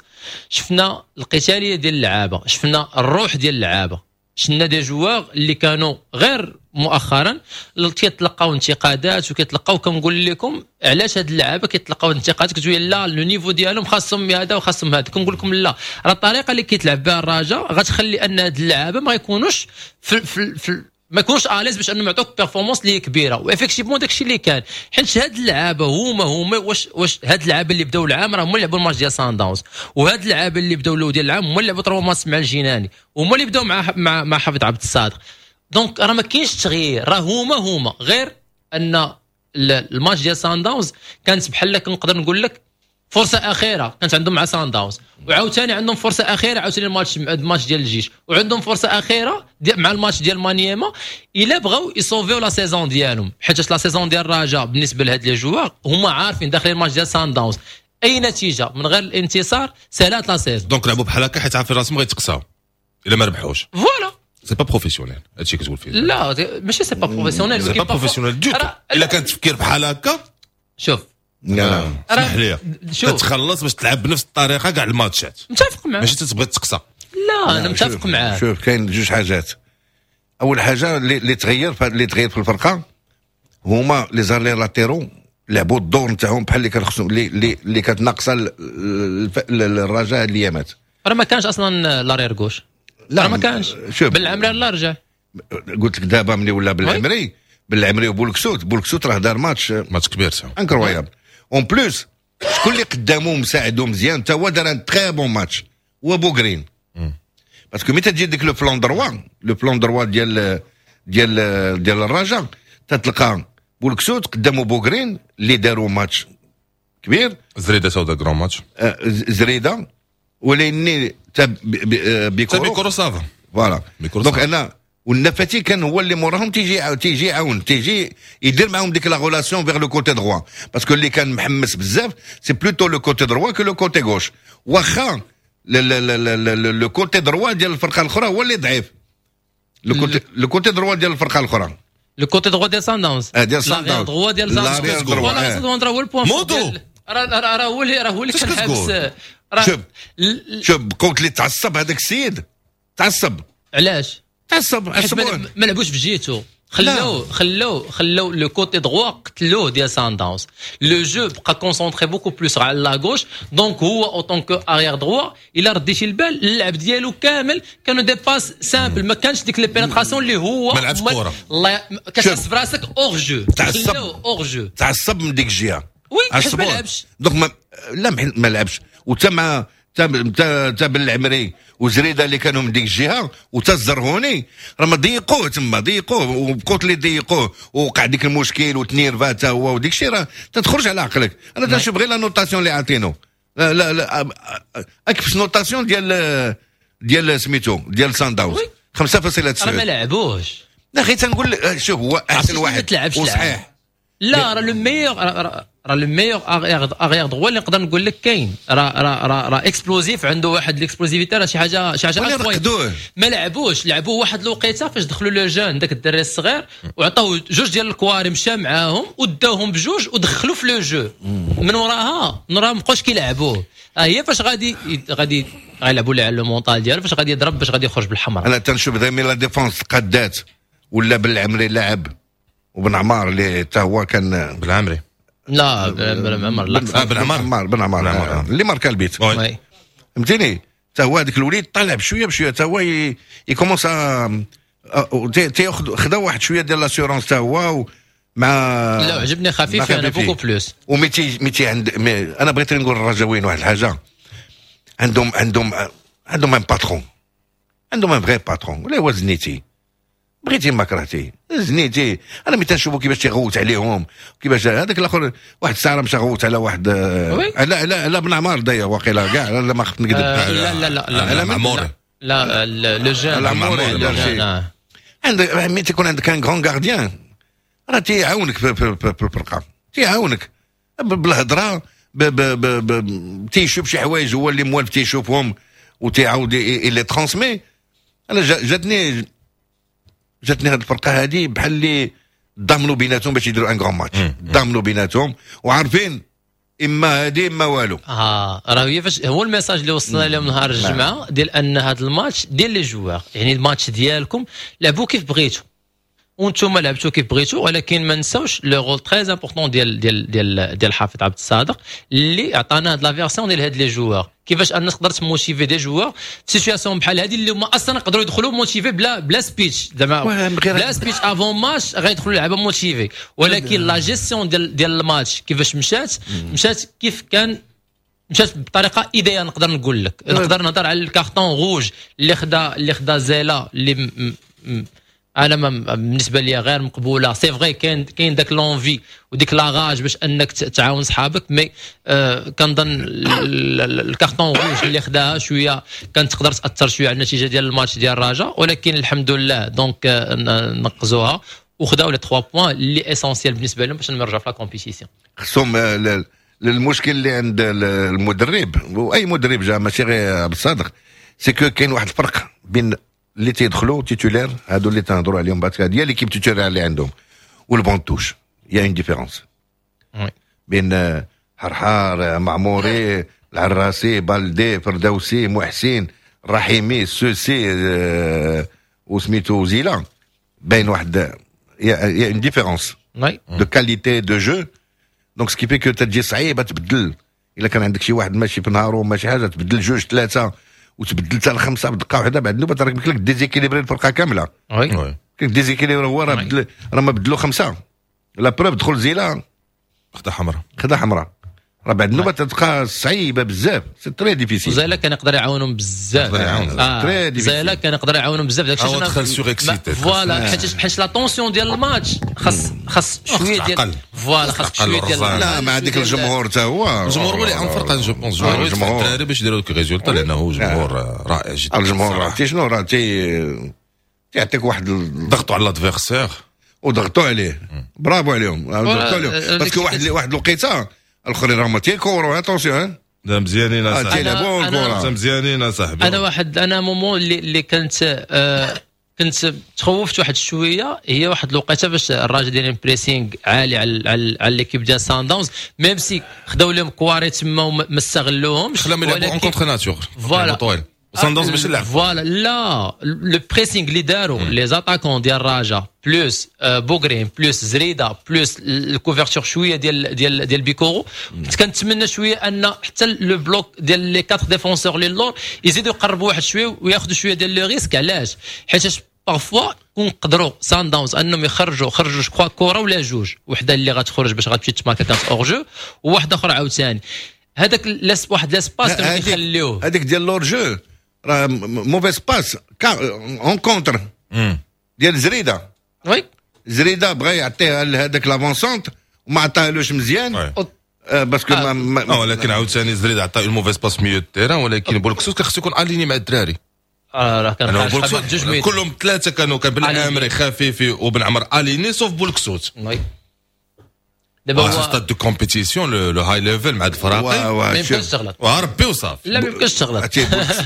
شفنا القتالية ديال اللعابه، شفنا الروح ديال اللعابه، شفنا des joueurs اللي كانوا غير مؤخرا كيتلقاو انتقادات وكيتلقاو. كنقول لكم علاش هاد اللعابه كيتلقاو انتقادات؟ كتقول لا، le niveau ديالهم خاصهم هذا وخاصهم هذا. كنقول لكم لا، راه الطريقة اللي كيتلعب بها الرجاء غتخلي ان هاد اللعابه ما يكونوش في, في, في ما يكونوش à l'aise باش انهم يعطوك performance اللي كبيره. و effectivement داكشي اللي كان، حيت هاد اللعابه هما هما واش واش هاد اللعابه اللي بداو العام راه هما اللي لعبوا الماتش ديال سان داونز، وهاد اللعابه اللي بداو الاول ديال العام هما اللي لعبوا trois matchs مع الجناني، وهما اللي بداو مع مع, مع حفيظ عبد الصادق. donc راه ما كاينش تغيير، راه هما هما، غير ان الماتش ديال سان داونز كانت بحال كنقدر نقول لك فرصة اخيرة كانت عندهم مع سان داونز، وعاوتاني عندهم فرصة اخيرة عاوتاني الماتش الماتش ديال الجيش، وعندهم فرصة اخيرة مع الماتش ديال مانيما الا بغاو يصوفيو la saison ديالهم، حيت la saison ديال الرجاء بالنسبة لهاد les joueurs هما عارفين داخلين الماتش ديال سان داونز، اي نتيجة من غير الانتصار سالات la saison. donc لعبوا بحال هكا حيت عارفين راسهم غيتقصاو الا ما ربحوش. voilà. c'est pas professionnel هادشي كتقول فيه. لا، ماشي c'est pas professionnel. c'est pas professionnel du tout الا كان تفكير بحال هكا. شوف. لا. اسمح لي، تتخلص باش تلعب بنفس الطريقة كاع الماتشات. متفق معاك. ماشي تتبغي تقصى. لا، انا متفق معاك. شوف، كاين جوج حاجات. اول حاجة اللي تغير اللي تغير في الفرقة هما les arrières latéraux، لعبوا الدور نتاعهم بحال اللي كان خصهم، اللي اللي, اللي كانت ناقصه الرجاء الايامات. راه ما كانش اصلا l'arrière gauche. لا، ما كانش. شوف. بالعمري لا رجع. قلت لك دابا ملي ولا بالعمري، بالعمري وبولكسوت، بولكسوت راه دار ماتش. ماتش كبير ça. incroyable. en plus شكون اللي قدامو مساعدو مزيان، تا هو دار un très bon match، هو بوغرين، parce que ملي تجي ديك le flanc droit le flanc droit ديال ديال ديال الرجاء، تتلقى بولكسوت قدامو بوغرين اللي داروا ماتش كبير. زريده تا grand match. آه، زريده، ولاني تا بيكورو. بيكورو ça va. voilà، donc انا والنفاتي كان هو اللي موراهم، تيجي تيجي يعاون، تيجي يدير معاهم ديك la relation vers le côté droit، parce que اللي كان محمس بزاف c'est plutôt le côté droit que le côté gauche، واخا le côté droit ديال الفرقة الاخرى هو اللي ضعيف، le côté le côté droit ديال الفرقة الاخرى. le côté droit ديال سان داونز. ديال سان داونز. droit ديال سان داونز، voilà، هو ال point. مودو. راه راه هو اللي راه هو اللي كان حابس. شوف شوف، قلت لي تعصب هذاك السيد، تعصب. علاش؟ تعصب. ما لعبوش في جيتو، خلوه خلوه خلو le côté droit، قتلوه ديال سان داونز. le jeu بقى concentré beaucoup plus على la gauche، donc هو autant que arrière droit الا رديتي البال اللعب ديالو كامل كانوا des passes simples، ما كانش ديك les pénétrations اللي هو ما لعبش كره. الله، كتحس براسك hors jeu. تعصب. hors jeu. تعصب من ديك الجهه. oui، حيت ما لعبش. donc ما لا ما لعبش، وتا مع تا تا بالعمري وزريده اللي كانوا من ديك الجهه، وتا الزرهوني راه ما ضيقوه تما، ضيقوه وبقوت اللي ضيقوه، ووقع ديك المشكل وتنيرفا تا هو، وديك الشيء راه تتخرج على عقلك. انا تنشوف غير la notation اللي عاطينو، لا لا لا، اكفس notation ديال ديال سميتو ديال سان داونز خمسة فاصلة تسعة. راه ما لعبوش. لا، غير تنقول شوف، هو احسن واحد وصحيح. لا، راه le meilleur راه le meilleur arrière droit اللي نقدر نقول لك كاين، راه راه راه راه explosif، عنده واحد l'explosivité، راه شي حاجه شي حاجه. رقدوه. ما لعبوش، لعبوه واحد الوقيته فاش دخلوا le jeune داك الدري الصغير وعطاوه جوج ديال الكواري، مشى معاهم وداوهم بجوج ودخلوا في le jeu. من وراها من وراها ما بقاوش كيلعبوه. هي فاش غادي غادي غيلعبوا ليه على le mental ديالو، فاش غادي يضرب باش غادي يخرج بالحمراء. انا تنشوف دائما la défense قدات ولا بالعمري لعب وبن عمار اللي حتى هو كان بالعمري. لا، بن عمر لا. آه، بن عمر. بن عمر، بن عمر اللي ماركا البيت، فهمتيني؟ حتى هو هذاك الوليد طالع بشوية بشويه، حتى هو il commence تياخذ خدا واحد شوية ديال l'assurance حتى هو مع لا، عجبني خفيف انا beaucoup plus. وميتي ميتي عند mais انا بغيت نقول الرجاويين واحد الحاجه، عندهم عندهم عندهم un patron، عندهم un vrai patron، ولا هو زنيتي، بغيتي ما كرهتي زنيتي. انا ملي تنشوفو كيفاش تيغوت عليهم، كيفاش هذاك الاخر واحد الساعة مشى غوت على واحد، لا لا لا بن عمار ضيع واقيلا كاع، لا ما خفت نكذب. لا لا لا لا معموري، لا le jeune معموري. عندك ملي تيكون عندك un grand gardien راه تيعاونك في الفرقة، تيعاونك بالهضره، تيشوف شي حوايج هو اللي موالف تيشوفهم وتيعاود les transmet. انا جاتني جاتني هذه الفرقة هذه بحال اللي ضامنوا بيناتهم باش يديروا un grand match، ضامنوا بيناتهم وعارفين اما هذه اما والو. اه راه هي فاش هو ال message اللي وصلنا لهم نهار الجمعة ديال ان هذا الماتش ديال les joueurs، يعني الماتش ديالكم لعبوا كيف بغيتوا وانتم لعبتوا كيف بغيتوا، ولكن ما نساوش le rôle très important ديال ديال ديال ديال حافظ عبد الصادق اللي عطانا هاد la version ديال هاد les joueurs، كيفاش ان تقدر ت motiver des joueurs في situation بحال هادي اللي هما اصلا يقدروا يدخلوا motivés بلا بلا speech، زعما بلا speech avant match غيدخلوا لعبه motivés، ولكن la gestion ديال ديال الماتش كيفاش مشات، مشات كيف كان، مشات بطريقة idéale. نقدر نقول لك نقدر نهضر على ال carton rouge اللي خدا اللي خدا زيلا اللي م م انا بالنسبة لي غير مقبولة. c'est vrai كاين كاين داك l'envie وديك la rage باش انك تعاون صحابك، mais آه كنظن ال carton rouge اللي خداها شوية كانت تقدر تاثر شوية على النتيجة ديال الماتش ديال الرجاء، ولكن الحمد لله donc آه نقزوها وخداو les ثلاثة points اللي essentiels بالنسبة لهم باش نرجعوا في la compétition. خصهم المشكل اللي عند المدرب واي مدرب جا ماشي غير عبد الصادق، c'est que كاين واحد الفرق بين اللي تيدخلوا titulaires هادو اللي تنهضروا عليهم بعد ديال l'équipe titulaire اللي عندهم وال banc de touche، y a une différence بين حرحار، معموري، العراسي، بالدي، فردوسي، محسن، رحيمي، السوسي، وسميتو زيلا، باين واحد y a une différence de qualité de jeu، donc ce qui fait que تجي صعيبة تبدل الا كان عندك شي واحد ماشي في نهارو ماشي حاجة، تبدل جوج ثلاثة وتبدل حتى الخمسة بدقة واحدة، بعد النوبة راه يمكن لك déséquilibrer الفرقة كاملة. oui déséquilibrer هو راه بدل، راه ما بدلوا خمسة، la preuve دخل زيلا خدا حمراء، خدا حمراء، راه بعد النوبة تبقى صعيبة بزاف، c'est très difficile. زيلا كان يقدر يعاونهم بزاف، très difficile. زيلا كان يقدر يعاونهم بزاف داكشي علاش دخل surexcité. voilà حيت حيت la tension ديال الماتش خاص خاص شوية ديال voilà خاص شوية ديال لا مع ديك الجمهور حتى هو الجمهور هو اللي عاون فرقه، je pense الجمهور الدراري باش يديروا لك résultat، لانه جمهور رائع جدا. الجمهور عرفتي شنو راه تيعطيك واحد ضغطوا على l'adversaire وضغطوا عليه، برافو عليهم ضغطوا عليهم، parce que واحد واحد الوقيته الاخرين راهم تيكوروا attention. لا مزيانين اصاحبي، تيلعبوا الكره مزيانين اصاحبي. انا واحد انا moment اللي اللي كنت آه كنت تخوفت واحد شوية، هي واحد الوقيته باش الراجل دايرين pressing عالي على على, على l'équipe ديال سان داونز، même si خداو لهم كواري تما وما استغلوهمش، خلاهم يلعبوا en contre nature. voilà سان داونز باش يلعب voilà لا le pressing اللي داروا les attaquants ديال الرجاء plus بوغرين plus زريده plus ال couverture شوية ديال ديال ديال بيكورو، كنت كنتمنى شوية ان حتى le bloc ديال les quatre défenseurs لي اللور يزيدوا يقربوا واحد شوية وياخذوا شوية ديال le risque. علاش؟ حيت parfois كون قدروا سان داونز انهم يخرجوا خرجوا je crois كره ولا جوج، وحده اللي غتخرج باش غتمشي تماركا كانت hors-jeu وواحدة اخرى عاوتاني هذاك واحد l'espace كانوا كيخليوه هذيك ديال l'hors-jeu راه mauvaise passe en contre ديال زريده. oui زريده بغى يعطيها لهذاك l'avant-centre وما عطاهالوش مزيان parce que ما ولكن عاوتاني زريده عطى une mauvaise passe milieu terrain، ولكن بولكسوس كان خصو يكون aligné مع الدراري. اه راه كان جوج كلهم ثلاثة كانوا كان بالعامري خفيفي وبن عمر alignés sauf بولكسوت. oui دابا هو stade de compétition le high level مع الفراقي ما يمكنش تغلط وربي وصافي. لا ما يمكنش تغلط.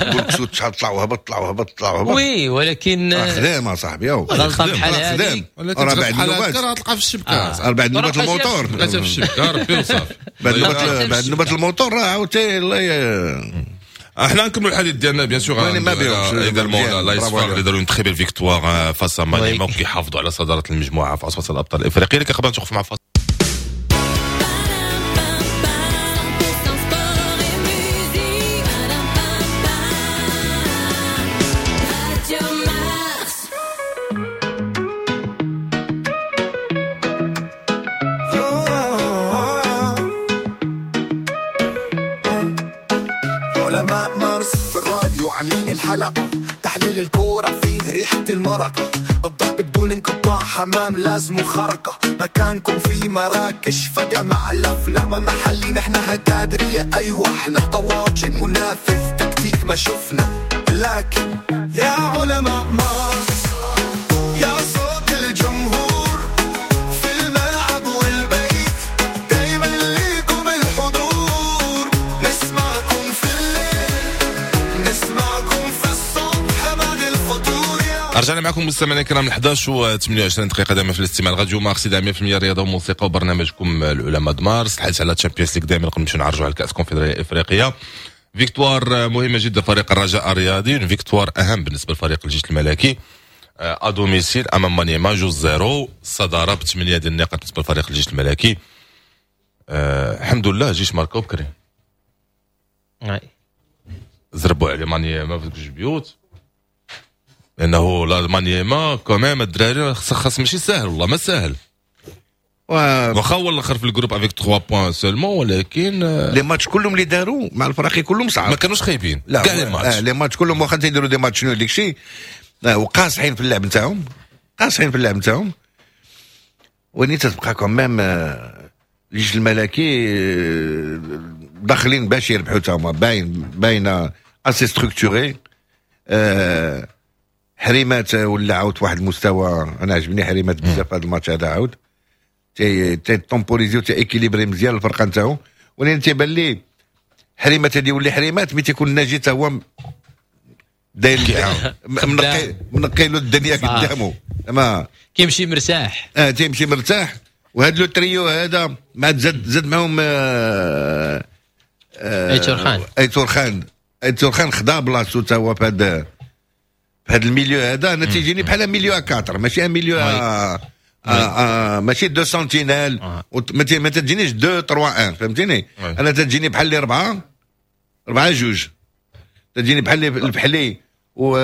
بولكسوت شحال طلع وهبط طلع وهبط طلع وهبط. oui ولكن خدام اصاحبي غلطه بحال هذه راه بعد النوبات راه تلقى في الشبكة، بعد نوبات الموتور لقيتها في الشبكة ربي وصافي. بعد نوبات بعد نوبات الموتور راه عاوتاني الله. احنا نكملوا الحديث ديالنا bien sûr également لايس فار اللي داروا une très belle victoire face à مانيما وكيحافظوا على صدارة المجموعة في عصبه الابطال الافريقية. لكن قبل نتوقف مع فاصل عاملين الحلقة، تحليل الكورة فيه ريحة المرقة، الضرب بدون انقطاع، حمام لازم خرقة، مكانكم في مراكش فجأة مع الأفلام محلي، نحن هكادرية أيوة احنا طواجن منافس تكتيك ما شفنا، لكن يا علماء مارس يا صوت الجمهور في الملعب والبيت، دايما ليكم الحضور، نسمعكم في الليل نسمعكم في الصبح بعد الفطور. رجعنا معكم مستمعينا الكرام إحداش و ثمانية وعشرين دقيقة دائما في الاستماع راديو مارس مية بالمية رياضة وموسيقى وبرنامجكم العلماء مارس. الحديث على Champions League دائما قبل نمشيو نعرجوا على الكأس الكونفدرالية الإفريقية. victoire مهمة جدا فريق الرجاء الرياضي، victoire أهم بالنسبة لفريق الجيش الملكي à domicile امام مانيما جوج zéro، الصدارة بثمانية ديال النقاط بالنسبة لفريق الجيش الملكي. أه الحمد لله الجيش ماركاو بكري، زربوا على مانيما في جوج بيوت، لانه لا مانيما quand même الدراري خاص ماشي ساهل، والله ما ساهل، واخا هو الاخر في ال groupe avec trois points seulement، ولكن les matchs كلهم اللي داروا مع الفراقي كلهم صعاب، ما كانوش خايبين. لا كاع les matchs آه les matchs كلهم واخا تيديروا des matchs nuls ديك الشيء، وقاصحين في اللعب نتاعهم، قاصحين في اللعب نتاعهم، وني تتبقى quand même الجيش الملكي داخلين باش يربحوا تاهما، باين باينة assez structuré. أه حريمات ولا عاود واحد المستوى، انا عجبني حريمات بزاف هذا الماتش هذا، عاود تي تي temporiser و تي équilibrer مزيان الفرقة نتاعو، ولكن تيبان لي حريمات هذه يولي حريمات ملي تيكون الناجي تا هو داير منقي منقي له الدنيا قدامه، ما كيمشي مرتاح. اه تيمشي مرتاح، وهذا le trio هذا مع زاد زاد معاهم آه آه ايتور خان ايتور خان ايتور خان خدا بلاصتو تا هو في هذا في هذا ال milieu هذا. انا تيجيني بحال milieu à quatre، ماشي un milieu آه آه ماشي deux sentinelles، ما تجينيش deux trois un، فهمتيني؟ انا تجيني بحال لي اربعة اربعة جوج، تجيني بحال الفحلي و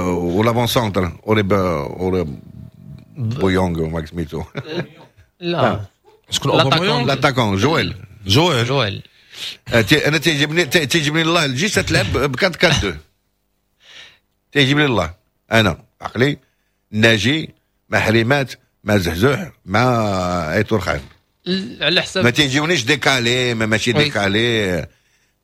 و l'avant-centre اوري اوري بويونغ وما سميتو. لا شكون؟ l'attaquant جويل. جويل. جويل. انا تيعجبني تيعجبني الله الجيش تلعب ب أربعة أربعة اثنين، تيعجبني الله انا عقلي ناجي مع حريمات مع زحزوح مع ايتور خان. على حساب ما تيجيونيش décalé، ما ماشي décalé،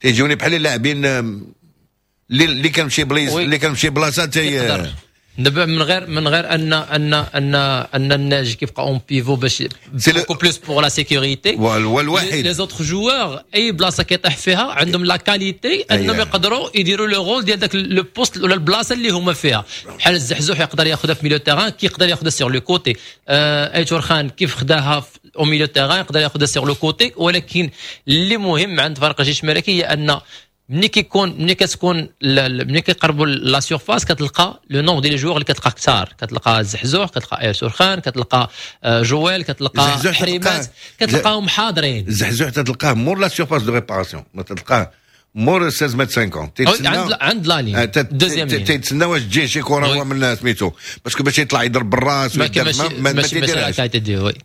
تيجيوني بحال اللاعبين اللي اللي كنمشي بليز اللي كنمشي بلاصة تي دابا من غير من غير ان ان ان ان الناجي كيبقى en pivot باش beaucoup plus pour la sécurité، هو الوحيد. les autres joueurs اي بلاصة كيطيح فيها عندهم la qualité انهم يقدروا يديروا le rôle ديال داك le poste ولا البلاصة اللي هما فيها. بحال الزحزوح يقدر ياخذها في milieu terrain، كيقدر ياخذها sur le côté. ايتور خان كيف خداها au milieu terrain يقدر ياخذها sur le côté. ولكن اللي مهم عند فريق الجيش الملكي هي ان ملي كيكون ملي كتكون ملي كيقربوا la surface كتلقى le nombre ديال les joueurs اللي كتلقى كثار، كتلقى الزحزوح، كتلقى ايتور خان، كتلقى جويل، كتلقى حريمات، كتلقاهم حاضرين. الزحزوح تلقاه مور la surface de réparation، ما تلقاه مور ستة عشر متر خمسين. عند عند la ligne deuxième تيتسنى واش تجي شي كره هو من سميتو parce que باش يطلع يضرب بالراس. ما ما, ما تيديرهاش.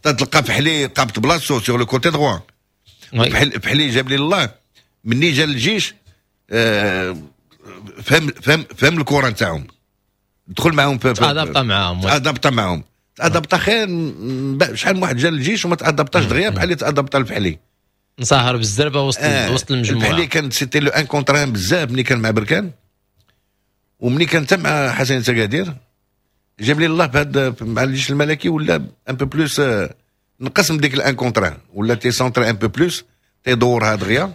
تلقى فحلي قابط بلاصتو sur le côté droit. فحلي جاب لي الله مني جا للجيش فهم فهم فهم الكره نتاعهم، دخل معاهم. تادابتا معاهم. تادابتا معاهم، تادابتا خير. شحال من واحد جا للجيش وما تادابتاش دغيا بحال اللي تادابتا الفحلي. نسهر بالزربه وسط آه وسط المجموعه. الفحلي كان c'était le un contre un بزاف ملي كان مع بركان وملي كان حتى مع حسن تقادير. جاب لي الله بهذا مع الجيش الملكي ولا un peu plus نقص من ديك ال un contre un، ولا تي centrer un peu plus، تيدورها دغيا.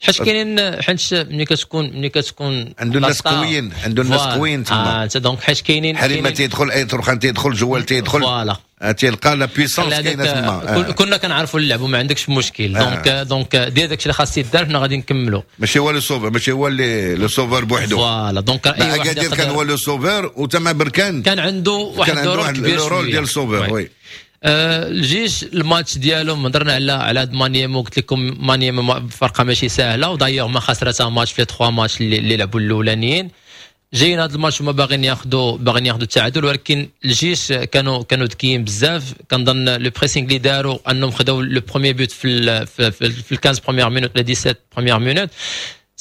حيت كاينين، حيت ملي كتكون ملي كتكون عنده الناس قويين، عنده الناس قويين تما. اه donc حيت كاينين حريمه تيدخل، ايتور خان تيدخل، جوال تيدخل، voilà تيلقى la puissance كاينه تما. آه. كنا كنعرفوا اللعب وما عندكش مشكل. donc donc دير داكشي اللي خاص يدار، حنا غادي نكملوا. ماشي هو le sauveur، ماشي هو اللي le sauveur بوحدو. voilà donc اي واحد كان هو le sauveur، وتما بركان كان عنده واحد ال rôle كبير، ال rôle ديال ال sauveur oui. آه الجيش الماتش ديالهم هضرنا على على هاد مانيمو، قلت لكم مانيمو فرقه ماشي سهله، و d'ailleurs ما خسرتها ماتش في ثلاثة ماتش اللي, اللي لعبوا الاولانيين. جايين هذا الماتش هما باغيين ياخذوا باغيين ياخذوا التعادل، ولكن الجيش كانوا كانوا ذكيين بزاف. كنظن le pressing اللي داروا انهم خداو le premier but في ال في, في, في خمسطاش premières minutes ولا سبعطاش premières minutes.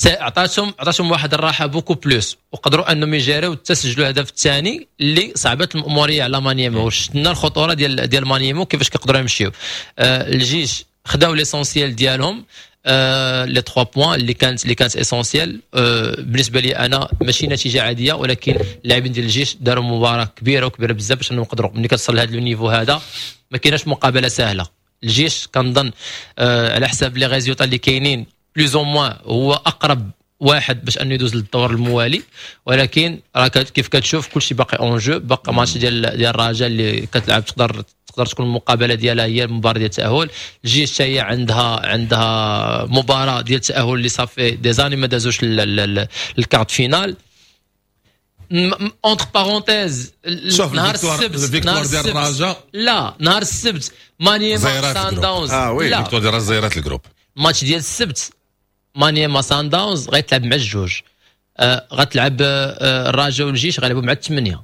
عطاتهم عطاتهم واحد الراحة beaucoup plus، وقدروا انهم يجاريو حتى سجلوا الهدف الثاني اللي صعبت المأموريه على مانيمو. وشفنا الخطورة ديال ديال مانيمو كيفاش كيقدروا يمشيو. آه الجيش خداو l'essentiel ديالهم، آه les trois points اللي كانت اللي كانت essentiels. آه بالنسبة لي انا ماشي نتيجة عاديه، ولكن اللاعبين ديال الجيش داروا مباراة كبيرة وكبيره بزاف باش انهم يقدروا. ملي كتصل لهذا ال niveau هذا ما كايناش مقابله سهله. الجيش كنظن آه على حساب les résultats اللي كاينين plus ou moins هو اقرب واحد باش انه يدوز للدور الموالي، ولكن راه كيف كتشوف كلشي باقي en jeu. باقي ماتش ديال ديال الرجاء اللي كتلعب، تقدر تقدر تكون المقابلة ديالها هي المباراة ديال التاهل. الجيش حتى هي عندها عندها مباراة ديال التاهل اللي ça fait des années ما دازوش ال quart de finale. entre parenthèses شوف نهار السبت، نهار ديال الرجاء، لا، نهار السبت مانيما سان داونز. اه oui. victoire ديال الرجاء زيرات ال groupe. ماتش ديال السبت مانيما سان داونز غيتلعب مع الجوج، آه غتلعب آه الرجاء والجيش غيلعبوا مع الثمانيه.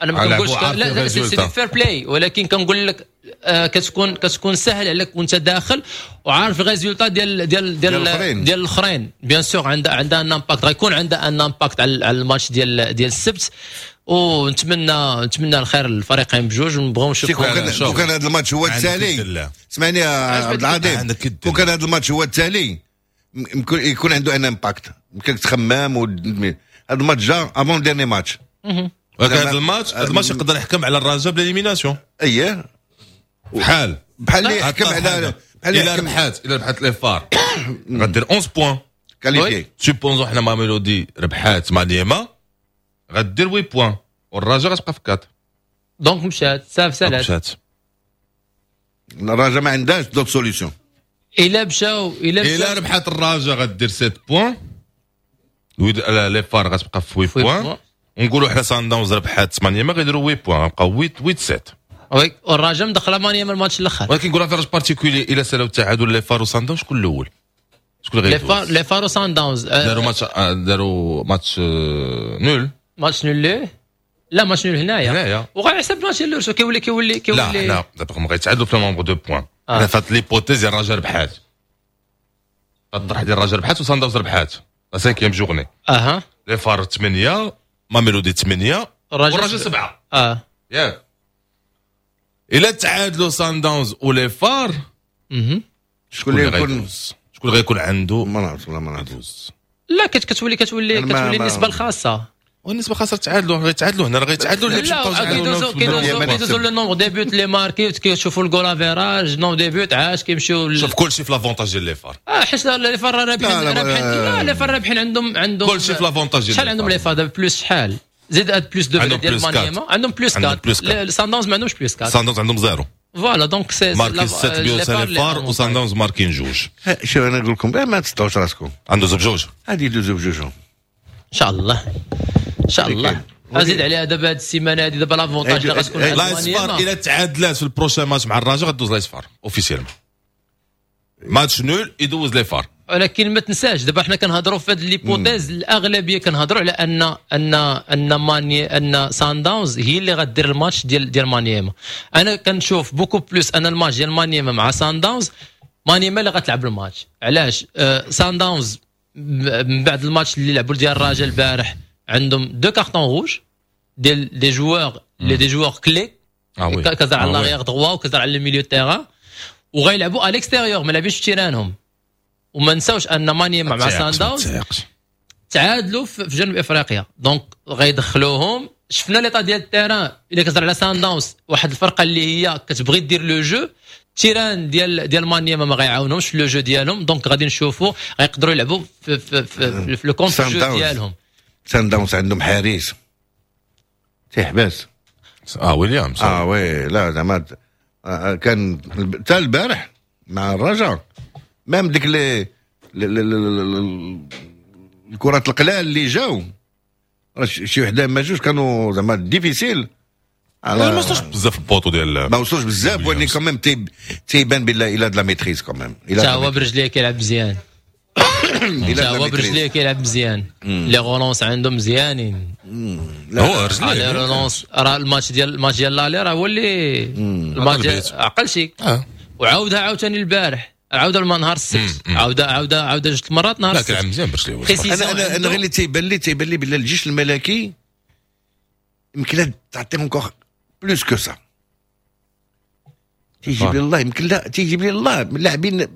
انا ما كنقولش لا c'est fair-play، ولكن كنقول لك آه كتكون كتكون سهل عليك وانت داخل وعارف ال résultat ديال ديال ديال ديال الاخرين. bien sûr عندها عندها un impact، غيكون عندها un impact على الماتش ديال ديال السبت، ونتمنى نتمنى الخير للفريقين بجوج ونبغيو نشوفوا. كون كان هذا الماتش هو التالي، اسمعني يا عبد العظيم، كون كان هذا الماتش هو التالي يمكن يكون عنده un impact، يمكن تخمم. هذا الماتش جا avant-dernier match. ولكن هذا الماتش هذا الماتش يقدر يحكم على الرجاء ب l'élimination. اييه. بحال بحال اللي يحكم على بحال الى ربحات الى ربحات les FAR غدير onze points qualifié. supposons حنا ماميلودي ربحات مانيما غدير huit points والرجاء غتبقى في quatre. donc مشات، صافي سالات. مشات. الرجاء ما عندهاش d'autres solutions. الا مشاو الا الا ربحات الرجاء غدير sept points، les FAR غتبقى في huit points. ونقولوا حنا سان داونز ربحات مانيما غيديروا huit points، غنبقاو huit huit sept. oui، والرجاء مدخله مانيما الماتش الاخر. ولكن نقول avantage particulier الى سالوا التعادل les FAR وسان داونز، شكون الاول؟ شكون اللي les FAR les FAR وسان داونز. داروا ماتش داروا match nul. match nul، لا، match nul هنايا. هنايا. وغير حسب ماتش اللور كيولي كيولي كيولي لا لا، دابا هما غيتعادلوا في nombre de points. حنا فات l'hypothèse ديال الرجاء ربحات، الطرح ديال الرجاء ربحات وسان داونز ربحات la cinquième journée. اها les FAR ثمانية، ماميلودي ثمانية، والرجاء سبعة. اه ياك؟ الا تعادلوا سان داونز و les FAR شكون اللي يكون شكون غيكون عنده؟ ما نعرف، والله ما نعرف. لا، كتولي كتولي كتولي النسبة الخاصه. والنسبه خاصة تعادلوا، غيتعادلوا هنا، راه غيتعادلوا. اللي لا، كيدوزو كيدوزو كيدوزو le nombre de buts اللي marqués، كيشوفوا ال goal-average، nombre de buts، عاش كيمشيو. شوف، كلشي في l'avantage ديال les FAR. اه، حيت les FAR رابحين رابحين، لا، les FAR رابحين، عندهم عندهم كلشي في l'avantage ديال شحال عندهم les FAR دابا؟ plus شحال؟ زيد هاد plus deux ديال مانيما، عندهم plus quatre. سان داونز ما عندهمش plus quatre. سان داونز عندهم zéro. voilà، donc c'est marqué sept buts les FAR وسان داونز ماركين جوج. شوف، انا نقول لكم ما تصدعوش راسكم. عنده بجوج. هادي يدوزو بجوج. ان شاء الله، ان شاء الله. ازيد عليها دابا هاد السيمانة هادي دابا l'avantage اللي غتكون. l'AS FAR الى تعادلات في ال prochain match مع الرجاء غدوز l'AS FAR officiellement، match nul يدوز les FAR. ولكن ما تنساش دابا حنا كنهضروا في هاد l'hypothèse، الاغلبية كنهضروا على ان ان ان ماني ان سان داونز هي اللي غدير الماتش ديال ديال مانيما. انا كنشوف beaucoup plus ان الماتش ديال مانيما مع سان داونز، مانيما اللي غتلعب الماتش. علاش؟ آه سان داونز من بعد الماتش اللي لعبوا ديال الرجاء البارح عندهم deux cartons rouges ديال des joueurs les des joueurs clés، كتهضر على l'arrière droit وكتهضر على ال milieu terrain، وغيلعبوا à l'extérieur، ما لعبينش في تيرانهم. وما نساوش ان مانيما مع سان داونز تعادلوا في جنوب افريقيا، donc غيدخلوهم. شفنا l'état ديال ال terrain. الا كتهضر على سان داونز، واحد الفرقة اللي هي كتبغي دير le jeu، terrain ديال ديال مانيما ما غيعاونهمش في le jeu ديالهم، donc غادي نشوفوا غيقدروا يلعبوا في في في, في le contre-jeu ديالهم. سان داونز عندهم حارس تيحبس. اه، ويليامز. اه oui، لا زعما آه، كان حتى البارح مع الرجاء même ديك les الكرات القلال اللي جاو، شي وحده ما جوج كانوا زعما difficiles. على ما وصلوش بزاف ال poteau ديال ما وصلوش بزاف، ولكن quand même تيبان بالله il a de la maîtrise quand même. حتى هو برجليه كيلعب مزيان، حتى هو برجليه كيلعب مزيان، les relances عندهم مزيانين. هو رجليه les relances، راه الماتش ديال الماتش ديال l'aller راه هو اللي الماتش عقل شي وعاودها عاوتاني البارح. عاوده نهار السبت، عاوده عاوده عاوده جوج المرات نهار السبت. لا كيلعب مزيان برشلونة. انا انا انا غير اللي تيبان لي تيبان لي بلي الجيش الملكي يمكن تعطيهم encore plus que ça. تيجيب لي الله يمكن لا تيجيب لي الله اللاعبين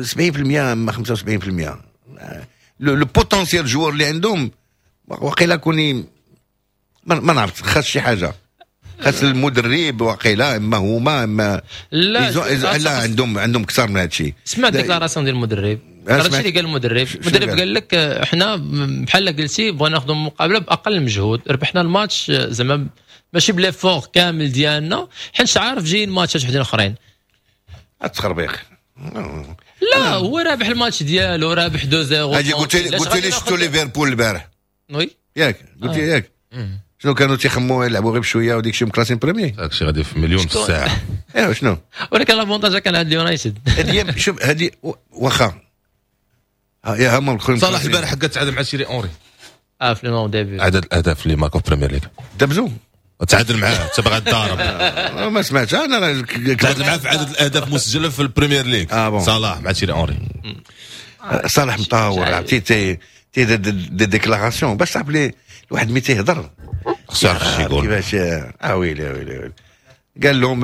سبعين بالمية اما خمسة وسبعين بالمية le potentiel joueur اللي عندهم وقيلا كوني ما نعرف، خاص شي حاجة، خاص المدرب وقيلا اما هما اما لا لا, لا عندهم عندهم اكثر من هذا الشيء. سمعت déclaration ديال المدرب، هذا الشيء اللي قال المدرب. المدرب قال لك احنا بحال قلتي بغينا ناخذوا المقابلة باقل مجهود، ربحنا الماتش زعما ماشي ب l'effort كامل ديالنا، حيت عارف جايين ماتشات وحدين اخرين. التخربيق لا هو رابح الماتش ديالو، رابح اثنين صفر. هادي قلت لي قلت لي شفتوا ليفربول البارح oui ياك قلت لي ياك شنو كانوا تيخموا يلعبوا غير بشوية وديك الشيء مكلاسين premier داك الشيء غادي في مليون في الساعة. ايوا شنو ولكن l'avantage كان عند اليونايتد. هذه شوف هذه واخا يا هما صلاح البارح حق تعادل مع تيري اونري اه في le début عدد الاهداف اللي ماركو في بريمير ليغ دبزو تعادل معاه انت باغي تضارب. ما سمعتش انا تعادل معاه في عدد الاهداف مسجله في البريمير ليغ. آه صلاح مع تيري اونري. صلاح مطاور عرفتي تي تي des déclarations باش تعرف لي الواحد ملي تيهضر خصو يعرف اش يقول كيفاش. اه ويلي ويلي قال لهم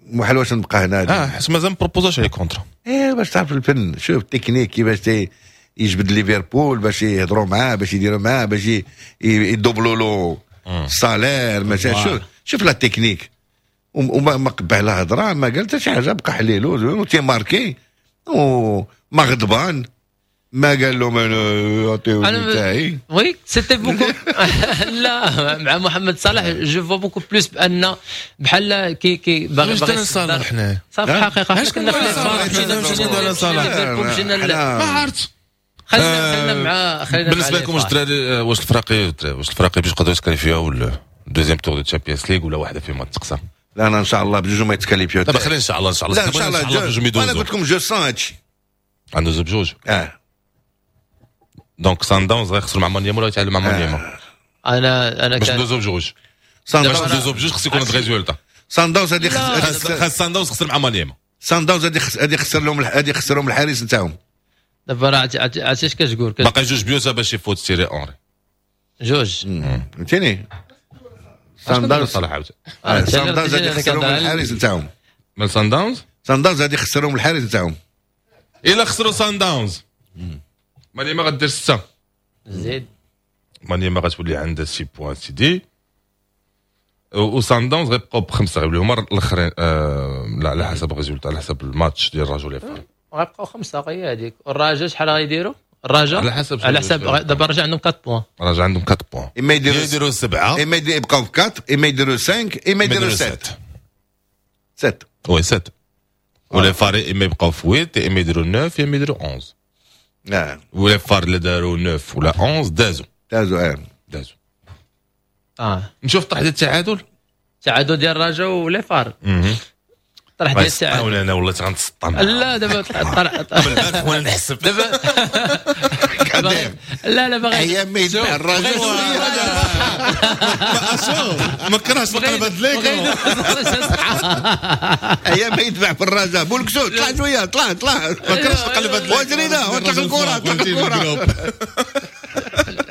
محال واش نبقى هنا. اه حيت مازال ما proposاش عليه contrat. ايه باش تعرف الفن، شوف التكنيك كيفاش تي يجبد ليفربول باش يهضروا معاه، باش يديروا معاه، باش يدوبلوا له ال salaire مثلا. شوف شوف la technique وما ما قبع لا هضره ما قال حتى شي حاجة، بقى حليلو وتيماركي وما غضبان ما قال لهم انا عطيوني تاعي. oui c'était beaucoup لا مع محمد صلاح je vois beaucoup plus بان بحال كي كي باغي باغي صلاح حنا صافي حقيقة حنا كنا في مشينا صلاح ما عرفت. خلينا خلينا مع خلينا بالنسبة لكم واش الدراري واش الفراقي واش الفراقي باش يقدروا يتكاليفيو ولا deuxième tour de Champions League ولا واحدة فيهم تقصى؟ لا انا ان شاء الله بجوج ما يتكاليفيو. دابا خلينا ان شاء الله ان شاء الله لا ان شاء الله بجوج انا قلت لكم je sens هادشي عنده بجوج اه donc سان داونز غيخسروا مع مانيما ولا يتعادلوا مع مانيما؟ انا انا باش ندوزو بجوج سان باش ندوزو بجوج خص يكون résultat. سان داونز هادي خاص سان داونز خسر مع مانيما. سان داونز هادي هادي خسر لهم هادي خسرهم الحارس نتاعهم. دابا راه عرفتي اش كتقول؟ باقي جوج بيوتا باش يفوت تيري اونري جوج فهمتيني. سان داونز صلاح عاوتاني سان داونز هادي خسرهم الحارس نتاعهم. من سان داونز سان داونز هادي خسرهم الحارس نتاعهم. الا خسروا سان داونز مانيما غدير ستة زيد مانيما غتولي عندها ستة points سيدي وسان داونز غيبقاو بخمسة غيوليو هما الاخرين. آه لا على حسب ال résultat على حسب الماتش ديال الرجل les FAR غيبقاو خمسة غير هذيك. والرجاء شحال غيديروا؟ الرجاء على حسب على حسب دابا الرجاء عندهم أربعة points. الرجاء عندهم أربعة points اما يديروا يديروا سبعة اما يبقاو في أربعة اما يديروا خمسة اما يديروا سبعة سبعة oui سبعة و les FAR اما يبقاو في ثمانية اما يديروا تسعة اما يديروا إحداش. نعم و les FAR اللي داروا تسعة ولا إحداش دازوا دازوا اه دازوا اه نشوف طرح ديال التعادل التعادل ديال الرجاء و les FAR طرح ديال التعادل. انا والله غنتسطم. لا دابا طرح البارح وانا نحسب دابا لا لا باغي ايام ما يدفع الرجاء ما ما كرهش نقلب هاد ليك ايام ما يدفع في الرجاء بولكسو طلع شوية طلع طلع ما كرهش نقلب هاد وجرينا وطلق الكره طلق الكره.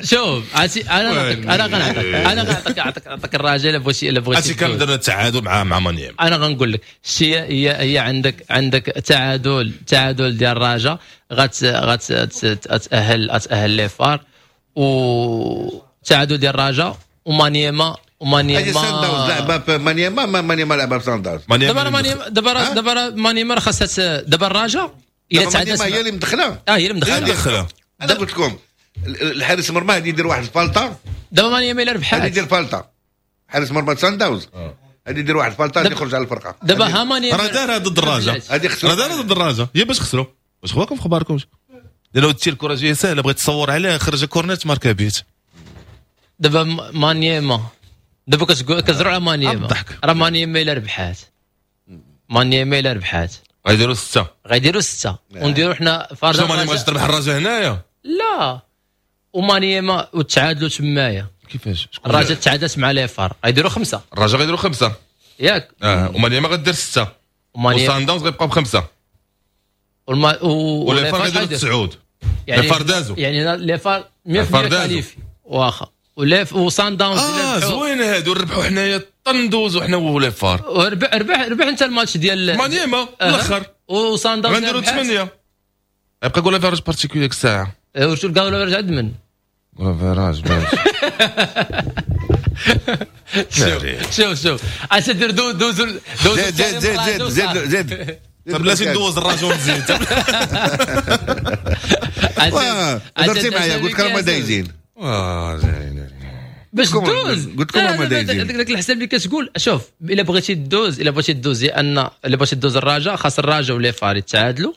شوف عرفتي انا نعطيك انا غنعطيك انا غنعطيك نعطيك نعطيك الرجاء الا بغيتي الا بغيتي عرفتي كان درنا التعادل مع مع مانيام. انا غنقول لك شي هي هي عندك عندك تعادل تعادل ديال الرجاء غت غت تاهل تاهل les FAR وتعادل ديال الرجاء ومانيما ومانيما سان داونز لعبه مانيما ما مانيما لعبه في سان داونز. دابا مانيما دابا دابا مانيما خاصها دابا الرجاء الا تعادلت هي اللي مدخله اه هي اللي مدخله. انا قلت لكم الحارس المرمى غادي يدير واحد الفالطه دابا مانيما الا ربحات غادي يدير فالطه. حارس مرمى سان داونز غادي يدير واحد الفالطه غادي يخرج على الفرقة. دابا ها مانيما راه دارها ضد الرجاء راه دارها ضد الرجاء هي باش خسروا. واش خواكم في خباركم لو تشي الكره جاية ساهله بغيت تصور عليها خرج corner تماركا بيت. دابا مانيما دابا كتزرع على مانيما راه مانيما الا ربحات مانيما الا ربحات غيديروا ستة غيديروا ستة ونديروا حنا فرجه. مانيما غادي تربح الرجاء هنايا لا ومانيما وتعادلوا تمايا. كيفاش الرجاء تعادلت مع les FAR غيديروا خمسة الرجاء غيديروا خمسة ياك اه ومانيما غدير ستة وسان داونز غيبقاو بخمسة والما و و les FAR غيديروا تسعود. يعني les FAR دازو. يعني les FAR مية في المية دازو. qualifiés واخا ولا وسان داونز اه زوين هادو ربحوا حنايا طندوزو حنا و les FAR. ربح ربح ربح انت الماتش ديال مانيما الاخر وسان داونز غنديروا ثمانية. يبقى goal average particulier ديك الساعة. وشو ال goal average عند من؟ goal average ماشي. شوف شوف شوف اش دير دوز دوز دوز زيد زيد زيد زيد زيد طب بلاتي ندوز الرجل نزيد. هضرتي معايا قلت لك راهم دايزين. اه باش دوز قلت لكم راهم دايزين. داك الحساب اللي كتقول شوف الا بغيتي دوز الا بغيتي دوز لان الا بغيتي دوز الرجاء خاص الرجاء و les FAR يتعادلوا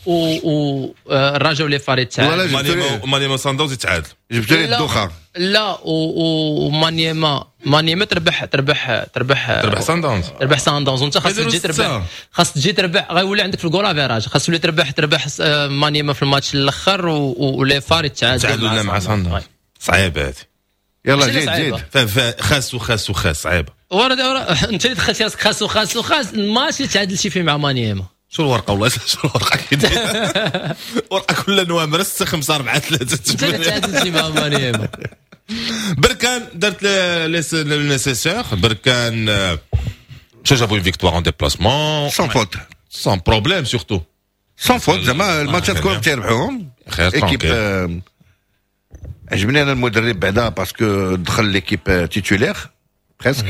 و الرجاء و les FAR يتعادلوا مانيما سان داونز يتعادل. جبت لي الدوخه. لا ومانيما مانيما تربح تربح تربح تربح سان داونز تربح سان داونز وانت خاص تجي تربح خاص تجي تربح غيولي عندك في ال goal average خاص تولي تربح تربح مانيما في الماتش الاخر و les FAR يتعادلوا مع سان داونز. صعيبة هذه. يلا زيد زيد خاص وخاص وخاص صعيبة. ورا انت اللي دخلتي راسك خاص وخاص وخاص الماتش اللي تعادلتي فيه مع مانيما. شو الورقة والله شو الورقة كدير ورقة كل نوامر ستة خمسة أربعة ثلاثة انت اللي تعادلتي مع مانيما. بركان دارت le nécessaire. بركان مشى جابوا une victoire en déplacement sans faute sans problème surtout sans faute. زعما الماتشات كلهم تيربحوهم. équipe عجبني انا المدرب بعدا parce que دخل l'équipe titulaire presque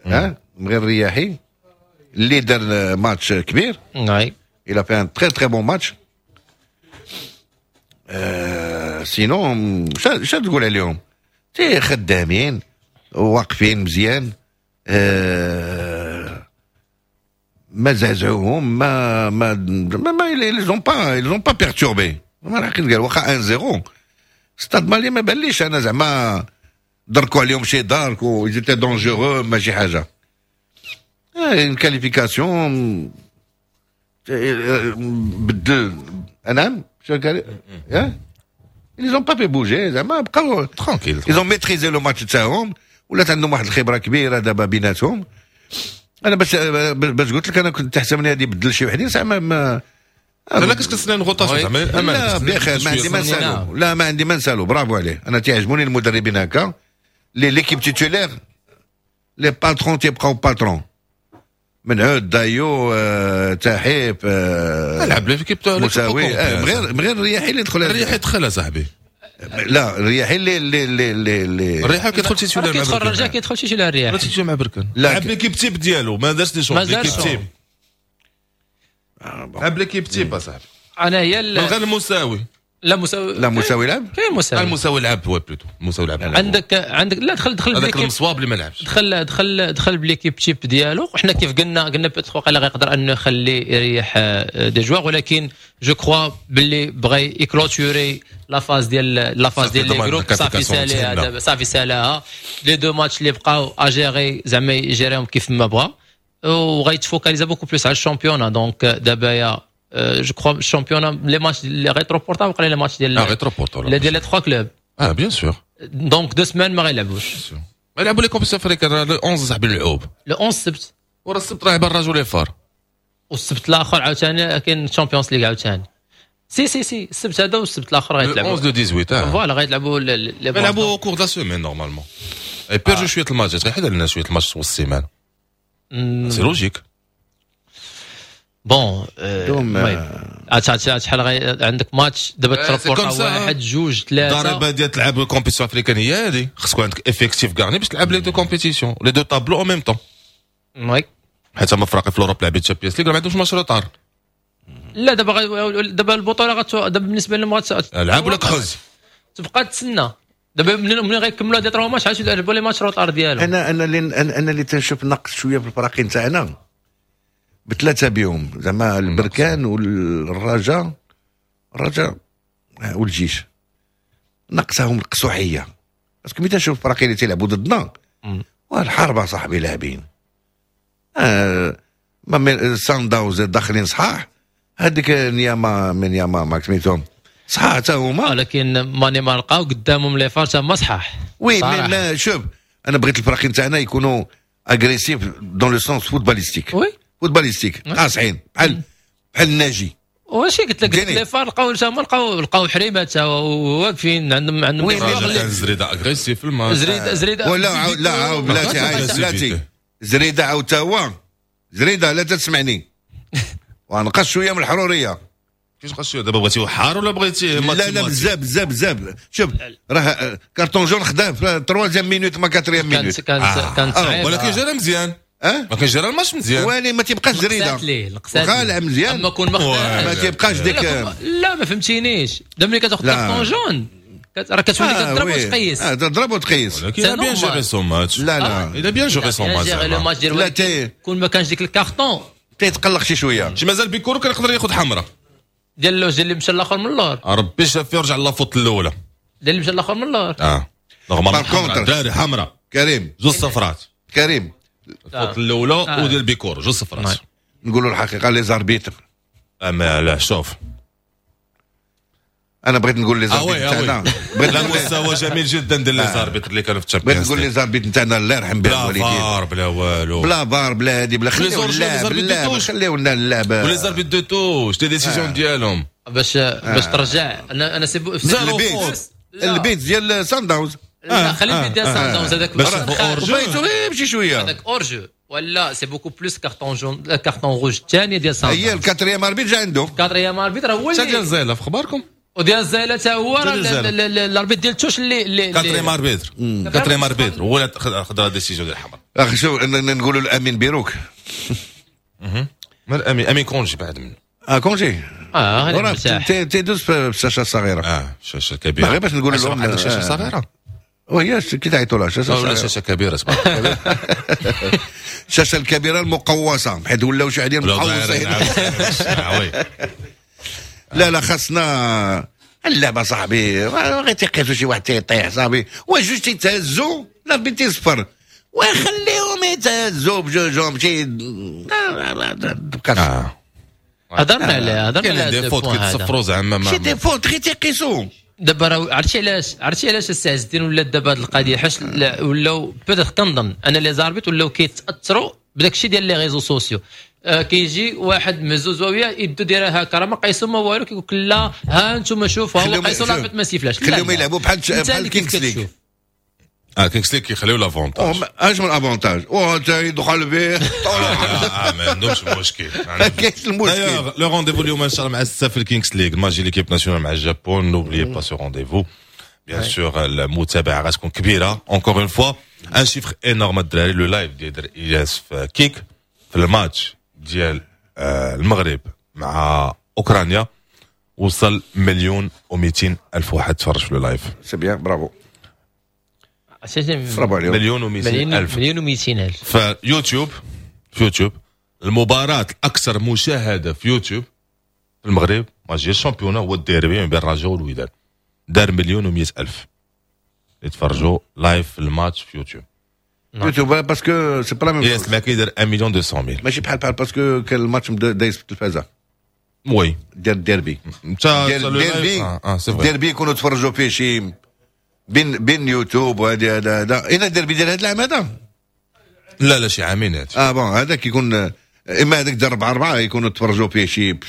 ها من غير الرياحي اللي دار ماتش كبير. oui il a fait un très très bon match. euh, sinon شا تقول عليهم؟ تي خدامين واقفين مزيان euh, ما زعزعوهم ما ما ما ما ils ont pas ils ont pas perturbé. ما الحقيقة قال واخا واحد صفر ستاد مالي ما باليش انا زعما دركوا عليهم شي دارك و ils étaient dangereux ماشي حاجة. une qualification بدل نعم شو قال ils ont pas fait bouger زعما بقاو tranquille. ils ont maîtrisé le match تاعهم ولات عندهم واحد الخبرة كبيرة دابا بيناتهم. انا باش باش قلت لك انا كنت تحسبني غادي يبدل شي وحدين زعما ما لا كنت كنتسنى rotation زعما. لا بخير ما عندي ما نسالو. لا ما عندي ما نسالو برافو عليه. انا تيعجبوني المدربين هكا les l'équipe titulaire les patrons تيبقاو patrons من عود دايو آه، تحيب آه، لعب l'équipe مساوي آه، غير غير الرياحي اللي دخل. الرياحي دخل صاحبي. لا الرياحي اللي اللي اللي اللي الرياحي كيدخل titulaire مع كيدخل الرجاء كيدخل titulaire الرياحي titulaire مع بركان. لعب l'équipe type ديالو ما دارش des changements. l'équipe type لعب l'équipe type اصاحبي. انا هي من غير المساوي. لا مساوي لا مساوي لعب كاين مساوي المساوي لعب هو plutôt المساوي لعب. عندك عندك لا دخل دخل هذاك المصواب اللي ما لعبش دخل دخل دخل ب l'équipe type ديالو. حنا كيف قلنا قلنا peut-être وقيلا غيقدر انه يخلي يريح des joueurs ولكن je crois باللي بغى ي clôturer la phase ديال la phase ديال les groupes. صافي ساليها دابا صافي سالاها. les deux matchs اللي بقاو à gérer زعما يجيريهم كيف ما بغا وغيت focalisa beaucoup plus على ال championnat. donc دابا يا je crois ال championnat les matchs les rétroportables وقال les matchs ديال اه rétroportables ديال les trois clubs. اه bien sûr donc deux semaines ما غيلعبوش. يلعبوا les compétitions africaines le onze صاحبي اللعوب le onze السبت ورا السبت راه يبان الرجل les FAR والسبت الاخر عاوتاني كاين Champions League عاوتاني. si si si السبت هذا والسبت الاخر غيتلعبوا onze le ثمنطاش. voilà غيتلعبوا يلعبوا au cours de la semaine normalement. اي بيرجو شوية الماتشات غيحيد لنا شوية الماتش وسط السيمانة c'est logique. bon المهم شحال عندك ماتش دابا تربورتا واحد جوج ثلاثة. الضريبة ديال تلعب compétition africaine هي هذه خصك عندك effectif garni باش تلعب les deux compétitions les deux tableaux en même temps. oui حيت هما فراقي في l'Europe لعبين Champions League ما عندهمش match retard. لا دابا دابا البطولة غت دابا بالنسبة لهم غت لعب ولا كحز تبقى تسنى دابا ملي غيكملوا هاد trois matchs عاد يلعبوا les matchs retard ديالهم. انا انا اللي انا اللي تنشوف نقص شوية في الفراقين تاعنا بثلاثة بيهم زعما البركان والرجاء الرجاء والجيش نقصهم القصوحيه parce que ملي تنشوف الفراقين اللي تيلعبوا ضدنا والحرب صاحبي لاعبين آه ما سان داوز داخلين صحاح هذيك نياما من ياما ما سميتهم صحاح حتى هما ولكن ماني ما لقاو قدامهم les FAR تما صحاح. oui mais شوف انا بغيت الفراقين تاعنا يكونوا agressifs dans le sens footballistique. oui footballistique قاصحين بحال بحال الناجي. واش قلت لك les FAR لقاو تما لقاو لقاو حريمات واقفين عندهم عندهم كان زريده agressif في الماتش. زريده زريده ولا لا عاود بلاتي عاود بلاتي زريده عاود تا هو زريده لا تسمعني ونقص شوية من الحرورية. كيفاش نقص شوية دابا؟ بغيتي حار ولا بغيتي لا لا بزاف بزاف بزاف. شوف راه carton jaune خداه في troisième minute ما quatrième minute. كانت كانت صعيبة ولكن جرى مزيان. اه ما كان جرى الماتش مزيان واني ما تيبقاش زريده غالع مزيان. اما كون ما تيبقاش ديك لا ما فهمتينيش. دابا ملي كتاخذ carton jaune راه كتولي كتضرب وتقيس. اه تضرب وتقيس ولكن il a bien géré son match. لا لا il a bien géré son match. لا كون ما كانش ديك الكارطون تيتقلق شي شوية. شي مازال بيكورو كان يقدر ياخذ حمراء ديال اللوج اللي مشى الاخر من اللور. ربي شاف فيه ورجع la faute الاولى ديال اللي مشى الاخر من اللور. اه normalement دراري حمراء كريم جوج صفرات كريم ال faute الاولى وديال بيكورو جوج صفرات. نقولوا الحقيقة les arbitres اما لا شوف انا بغيت نقول les arbitres تاعنا بغيت مستوى جميل جدا ديال les arbitres اللي كانوا في ال Champions. بغيت نقول les arbitres تاعنا الله يرحم بها الوالدين بلا فار بلا والو بلا فار بلا هادي بلا خليو اللعب لا خليو لنا اللعب و les arbitres de touche des décisions ديالهم باش باش ترجع. انا انا c'est البيت البيت ديال سان داونز. لا خلي البيت ديال سان داونز هذاك hors-jeu يمشي شوية هذاك hors-jeu ولا c'est beaucoup plus carton jaune carton rouge الثاني ديال سان داونز. هي ال quatrième arbitre جا عنده quatrième arbitre هو اللي ديال زيلا في اخباركم وديال الزايله حتى هو راه ال arbitre ديال touche اللي اللي quatrième arbitre quatrième arbitre هو اللي خد la décision ديال الحمراء. اخي شوف نقولوا الامين بيروك. ما الامين امين congé بعد منه. اه congé اه غير مرتاح تيدوز في الشاشة الصغيرة. اه الشاشة الكبيرة غير باش نقول لهم عندك شاشة صغيرة وهي كي تعيطوا لها شاشة ولا شاشة كبيرة تبارك الله. الشاشة الكبيرة المقوسه حيت ولاو شي عدين مقوسين. لا لا خاصنا اللعبة صاحبي غير تيقيسوا شي واحد تيطيح صاحبي وجوج تيتهزوا لا بنت تيصفر وخليهم يتهزوا بجوجهم شي تبقى. هضرنا عليها هضرنا على des fautes كيتصفروا زعما شي des fautes غير تيقيسوا دابا. راه عرفتي علاش عرفتي علاش السي عز الدين ولات دابا هذه القضية حيت ولاو peut-être كنظن انا les arbitres ولاو كيتاثروا بداك الشيء ديال les réseaux sociaux. آه كيجي واحد مهزوز ويا يدو دايرة هكا راه ما قيسوا ما والو كيقول لك لا ها انتم شوفوا هو قيسوا l'arbitre ما سيفلاش. خليهم يلعبوا بحال بحال Kings League. اه Kings League كيخليو l'avantage. اش من avantage او تا يدخل به اه ما عندهمش مشكل. ما كاينش المشكل. le rendez-vous اليوم ان شاء الله مع الستة في ال Kings League ماجي l'équipe nationale مع الجابون. n'oubliez pas ce rendez-vous bien sûr. المتابعة غتكون كبيرة encore une fois un chiffre énorme الدراري. le live ديال الياس في Kick في الماتش ديال المغرب مع اوكرانيا وصل مليون ومئتين الف واحد تفرج في le live. c'est bien bravo برافو عليهم. مليون ومئتين الف مليون ومئتين الف في يوتيوب. في يوتيوب المباراة الأكثر مشاهدة في يوتيوب في المغرب ماتش ال championnat هو الديربي بين الرجاء والوداد دار مليون ومئة ألف يتفرجوا live في الماتش في يوتيوب. يوتيوب parce que c'est pas la même ياس ما كيدير واحد مليون مئتين mille ماشي بحال بحال parce que كان الماتش دايز في التلفازه oui ديال الديربي ديال الديربي الديربي يكونوا تفرجوا فيه شي بين بين يوتيوب وهذه هذا هذا اين الديربي ديال هذا العام هذا لا لا شي عامين هذا اه bon هذا كيكون اما هذاك ديال أربعة أربعة يكونوا تفرجوا فيه شي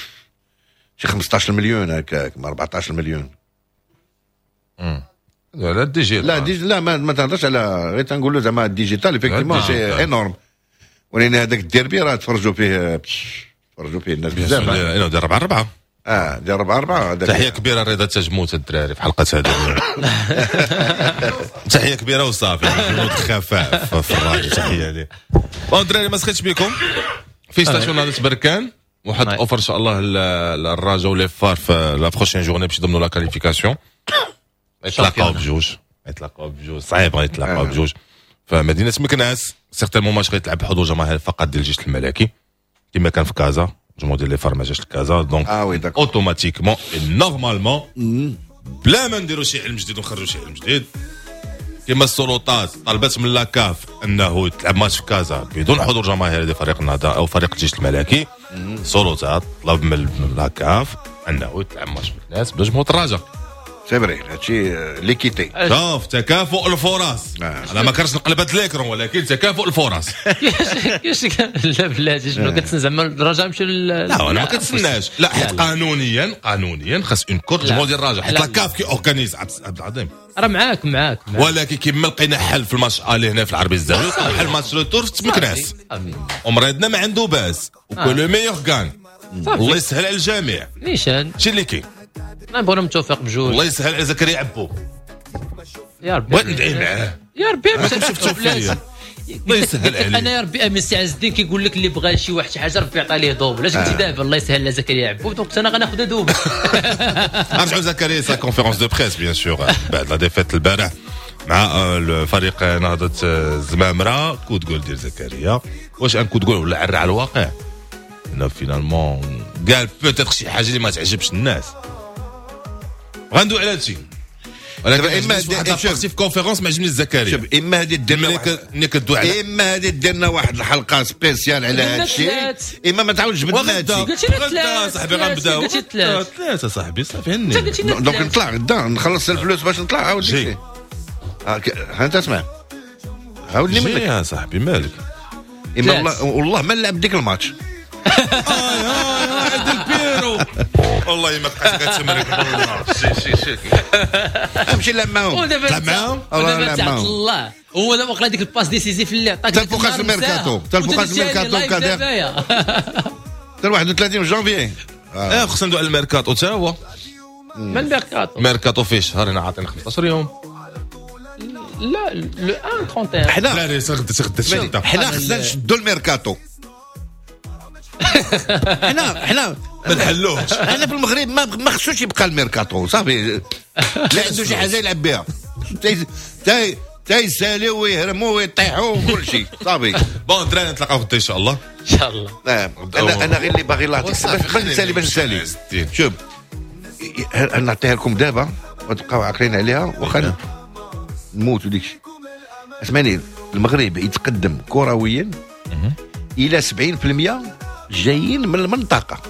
شي خمسطاش مليون هكاك ما أربعطاش مليون. امم لا ال digital لا dig لا ما, ما تهضرش على غير تنقولوا زعما ال digital effectivement c'est énorme ولكن هذاك الديربي راه تفرجوا فيه تفرجوا فيه الناس بزاف. ديال أربعة أربعة اه ديال أربعة أربعة. تحية كبيرة رضا تجموت الدراري في حلقة هذه. تحية كبيرة وصافي جنود خفاء في الراجل تحية ليه. bon الدراري ما سخيتش بكم. félicitations نهضة بركان واحد offre ان شاء الله الرجاء و les FAR في la prochaine journée باش يضمنوا la qualification. يتلاقاو بجوج يتلاقاو بجوج صعيب غيتلاقاو بجوج فمدينه مكناس. certainement ماتش غيتلعب بحضور جماهير فقط ديال الجيش الملكي كما كان في كازا. الجمهور ديال les FAR ما جاش لكازا donc automatiquement normalement بلا ما نديرو شي علم جديد ونخرجوا شي علم جديد كما السلطات طلبت من la CAF انه يتلعب ماتش في كازا بدون حضور جماهير ديال فريق النهضة او فريق الجيش الملكي. السلطات طلب من la CAF انه يتلعب ماتش في مكناس بلا جمهور الرجاء. c'est vrai هادشي l'équité. شوف تكافؤ الفرص. انا ما كرهتش نقلب هاد l'écran ولكن تكافؤ الفرص. كيفاش لا بلاتي شنو كتسنى زعما الرجاء يمشي؟ لا انا ما كنتسناش، لا حيت قانونيا قانونيا خاص une courte جمهور ديال الرجاء حيت la CAF qui organise. عبد العظيم راه معاك معاك، ولكن كيما لقينا حل في الماتش aller هنا في العربي الزاوي لقينا حل ماتش retour في مكناس ومريضنا ما عنده باس و que le meilleur gagne. الله يسهل على الجميع. نيشان شي اللي كاين نبغوا التوفيق بجوج. الله يسهل على زكريا عبو يا ربي، بغيت ندعي معاه يا ربي ما شفتو فيا. الله يسهل عليه. انا يا ربي امين سي عز الدين كيقول لك اللي بغى شي واحد شي حاجة ربي يعطي ليه double. علاش قلتي دابا الله يسهل على زكريا عبو؟ donc انا غناخذ double. نرجعوا زكريا sa conférence de presse bien sûr بعد la défaite البارح مع الفريق نهضة الزمامره. coup de gueule ديال زكريا، واش un coup de gueule ولا عرى على الواقع؟ انه finalement قال peut-être شي حاجة اللي ما تعجبش الناس. غندوي على هادشي ولكن اما واحد partie في conférence ما عجبنيش زكريا. شوف اما هادي دير ملي كدوي على اما هادي دير واحد الحلقة spéciale على هادشي، اما ما تعاودش جبدنا هادشي. غدا صاحبي غنبداو ثلاثة صاحبي صافي هني. donc نطلع غدا نخلص الفلوس باش نطلع عاود ديك ها انت اسمع عاودني منك يا صاحبي مالك. اما والله والله ما نلعب ديك الماتش. هاي هاي هاي عند البيرو والله ما بقيت كتمرك والله. شي شي شي امشي نلعب معاهم. تلعب معاهم؟ ودابا تعطل الله هو دابا وقع ديك ال passe décisive اللي عطاك حتى الفوقاس الميركاتو، حتى الفوقاس الميركاتو كادير حتى واحد وثلاثين جانفي. اه خصنا ندوي على الميركاتو حتى هو. ما الميركاتو؟ ميركاتو فيه شهر هنا عاطينا خمسطاش يوم. لا le واحد وثلاثين. حنا لا غدا غدا حنا خصنا نشدو الميركاتو. حنا حنا ما نحلوهش. حنا في المغرب ما ما خصوش يبقى الميركاتو صافي. لا عنده شي حاجة يلعب بها تاي تايساليو ويهرموا ويطيحوا وكل شيء صافي. bon الدراري نتلاقاو غدا ان شاء الله. ان شاء الله. نعم انا انا غير اللي باغي الله يعطيك باش نسالي باش نسالي. شوف نعطيها لكم دابا وتبقاو عاقلين عليها واخا نموتوا ديك الشيء. اسمعني المغرب يتقدم كرويا الى سبعين بالمية جايين من المنطقة.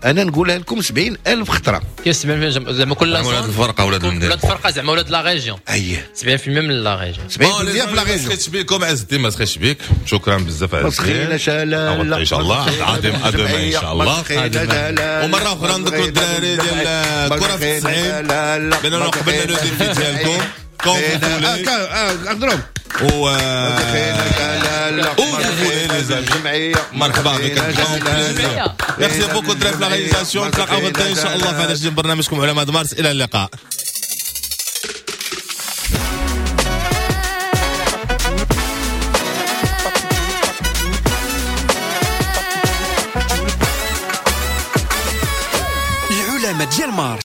انا نقولها لكم سبعين ألف خطره. كيف سبعين بالمية زعما كل ولاد الفرقة ولاد المدينة ولاد الفرقة زعما ولاد la région. اييه سبعين بالمية من la région. سبعين بالمية في la région. ما سخيتش بكم عز الدين، ما سخيتش بك. شكرا بزاف عز الدين. ما سخيناش لا لا ان شاء الله عظيم ادم ان شاء الله. ومرة اخرى نذكروا الدراري ديال الكره في التسعين باننا قبلنا le défi ديالكم كونفولي اضرب و مرحبا بك. merci beaucoup دراري في la réalisation. نتلاقاو غدا ان شاء الله في هذا الجديد برنامجكم علماء مارس. الى اللقاء. العلماء ديال مارس.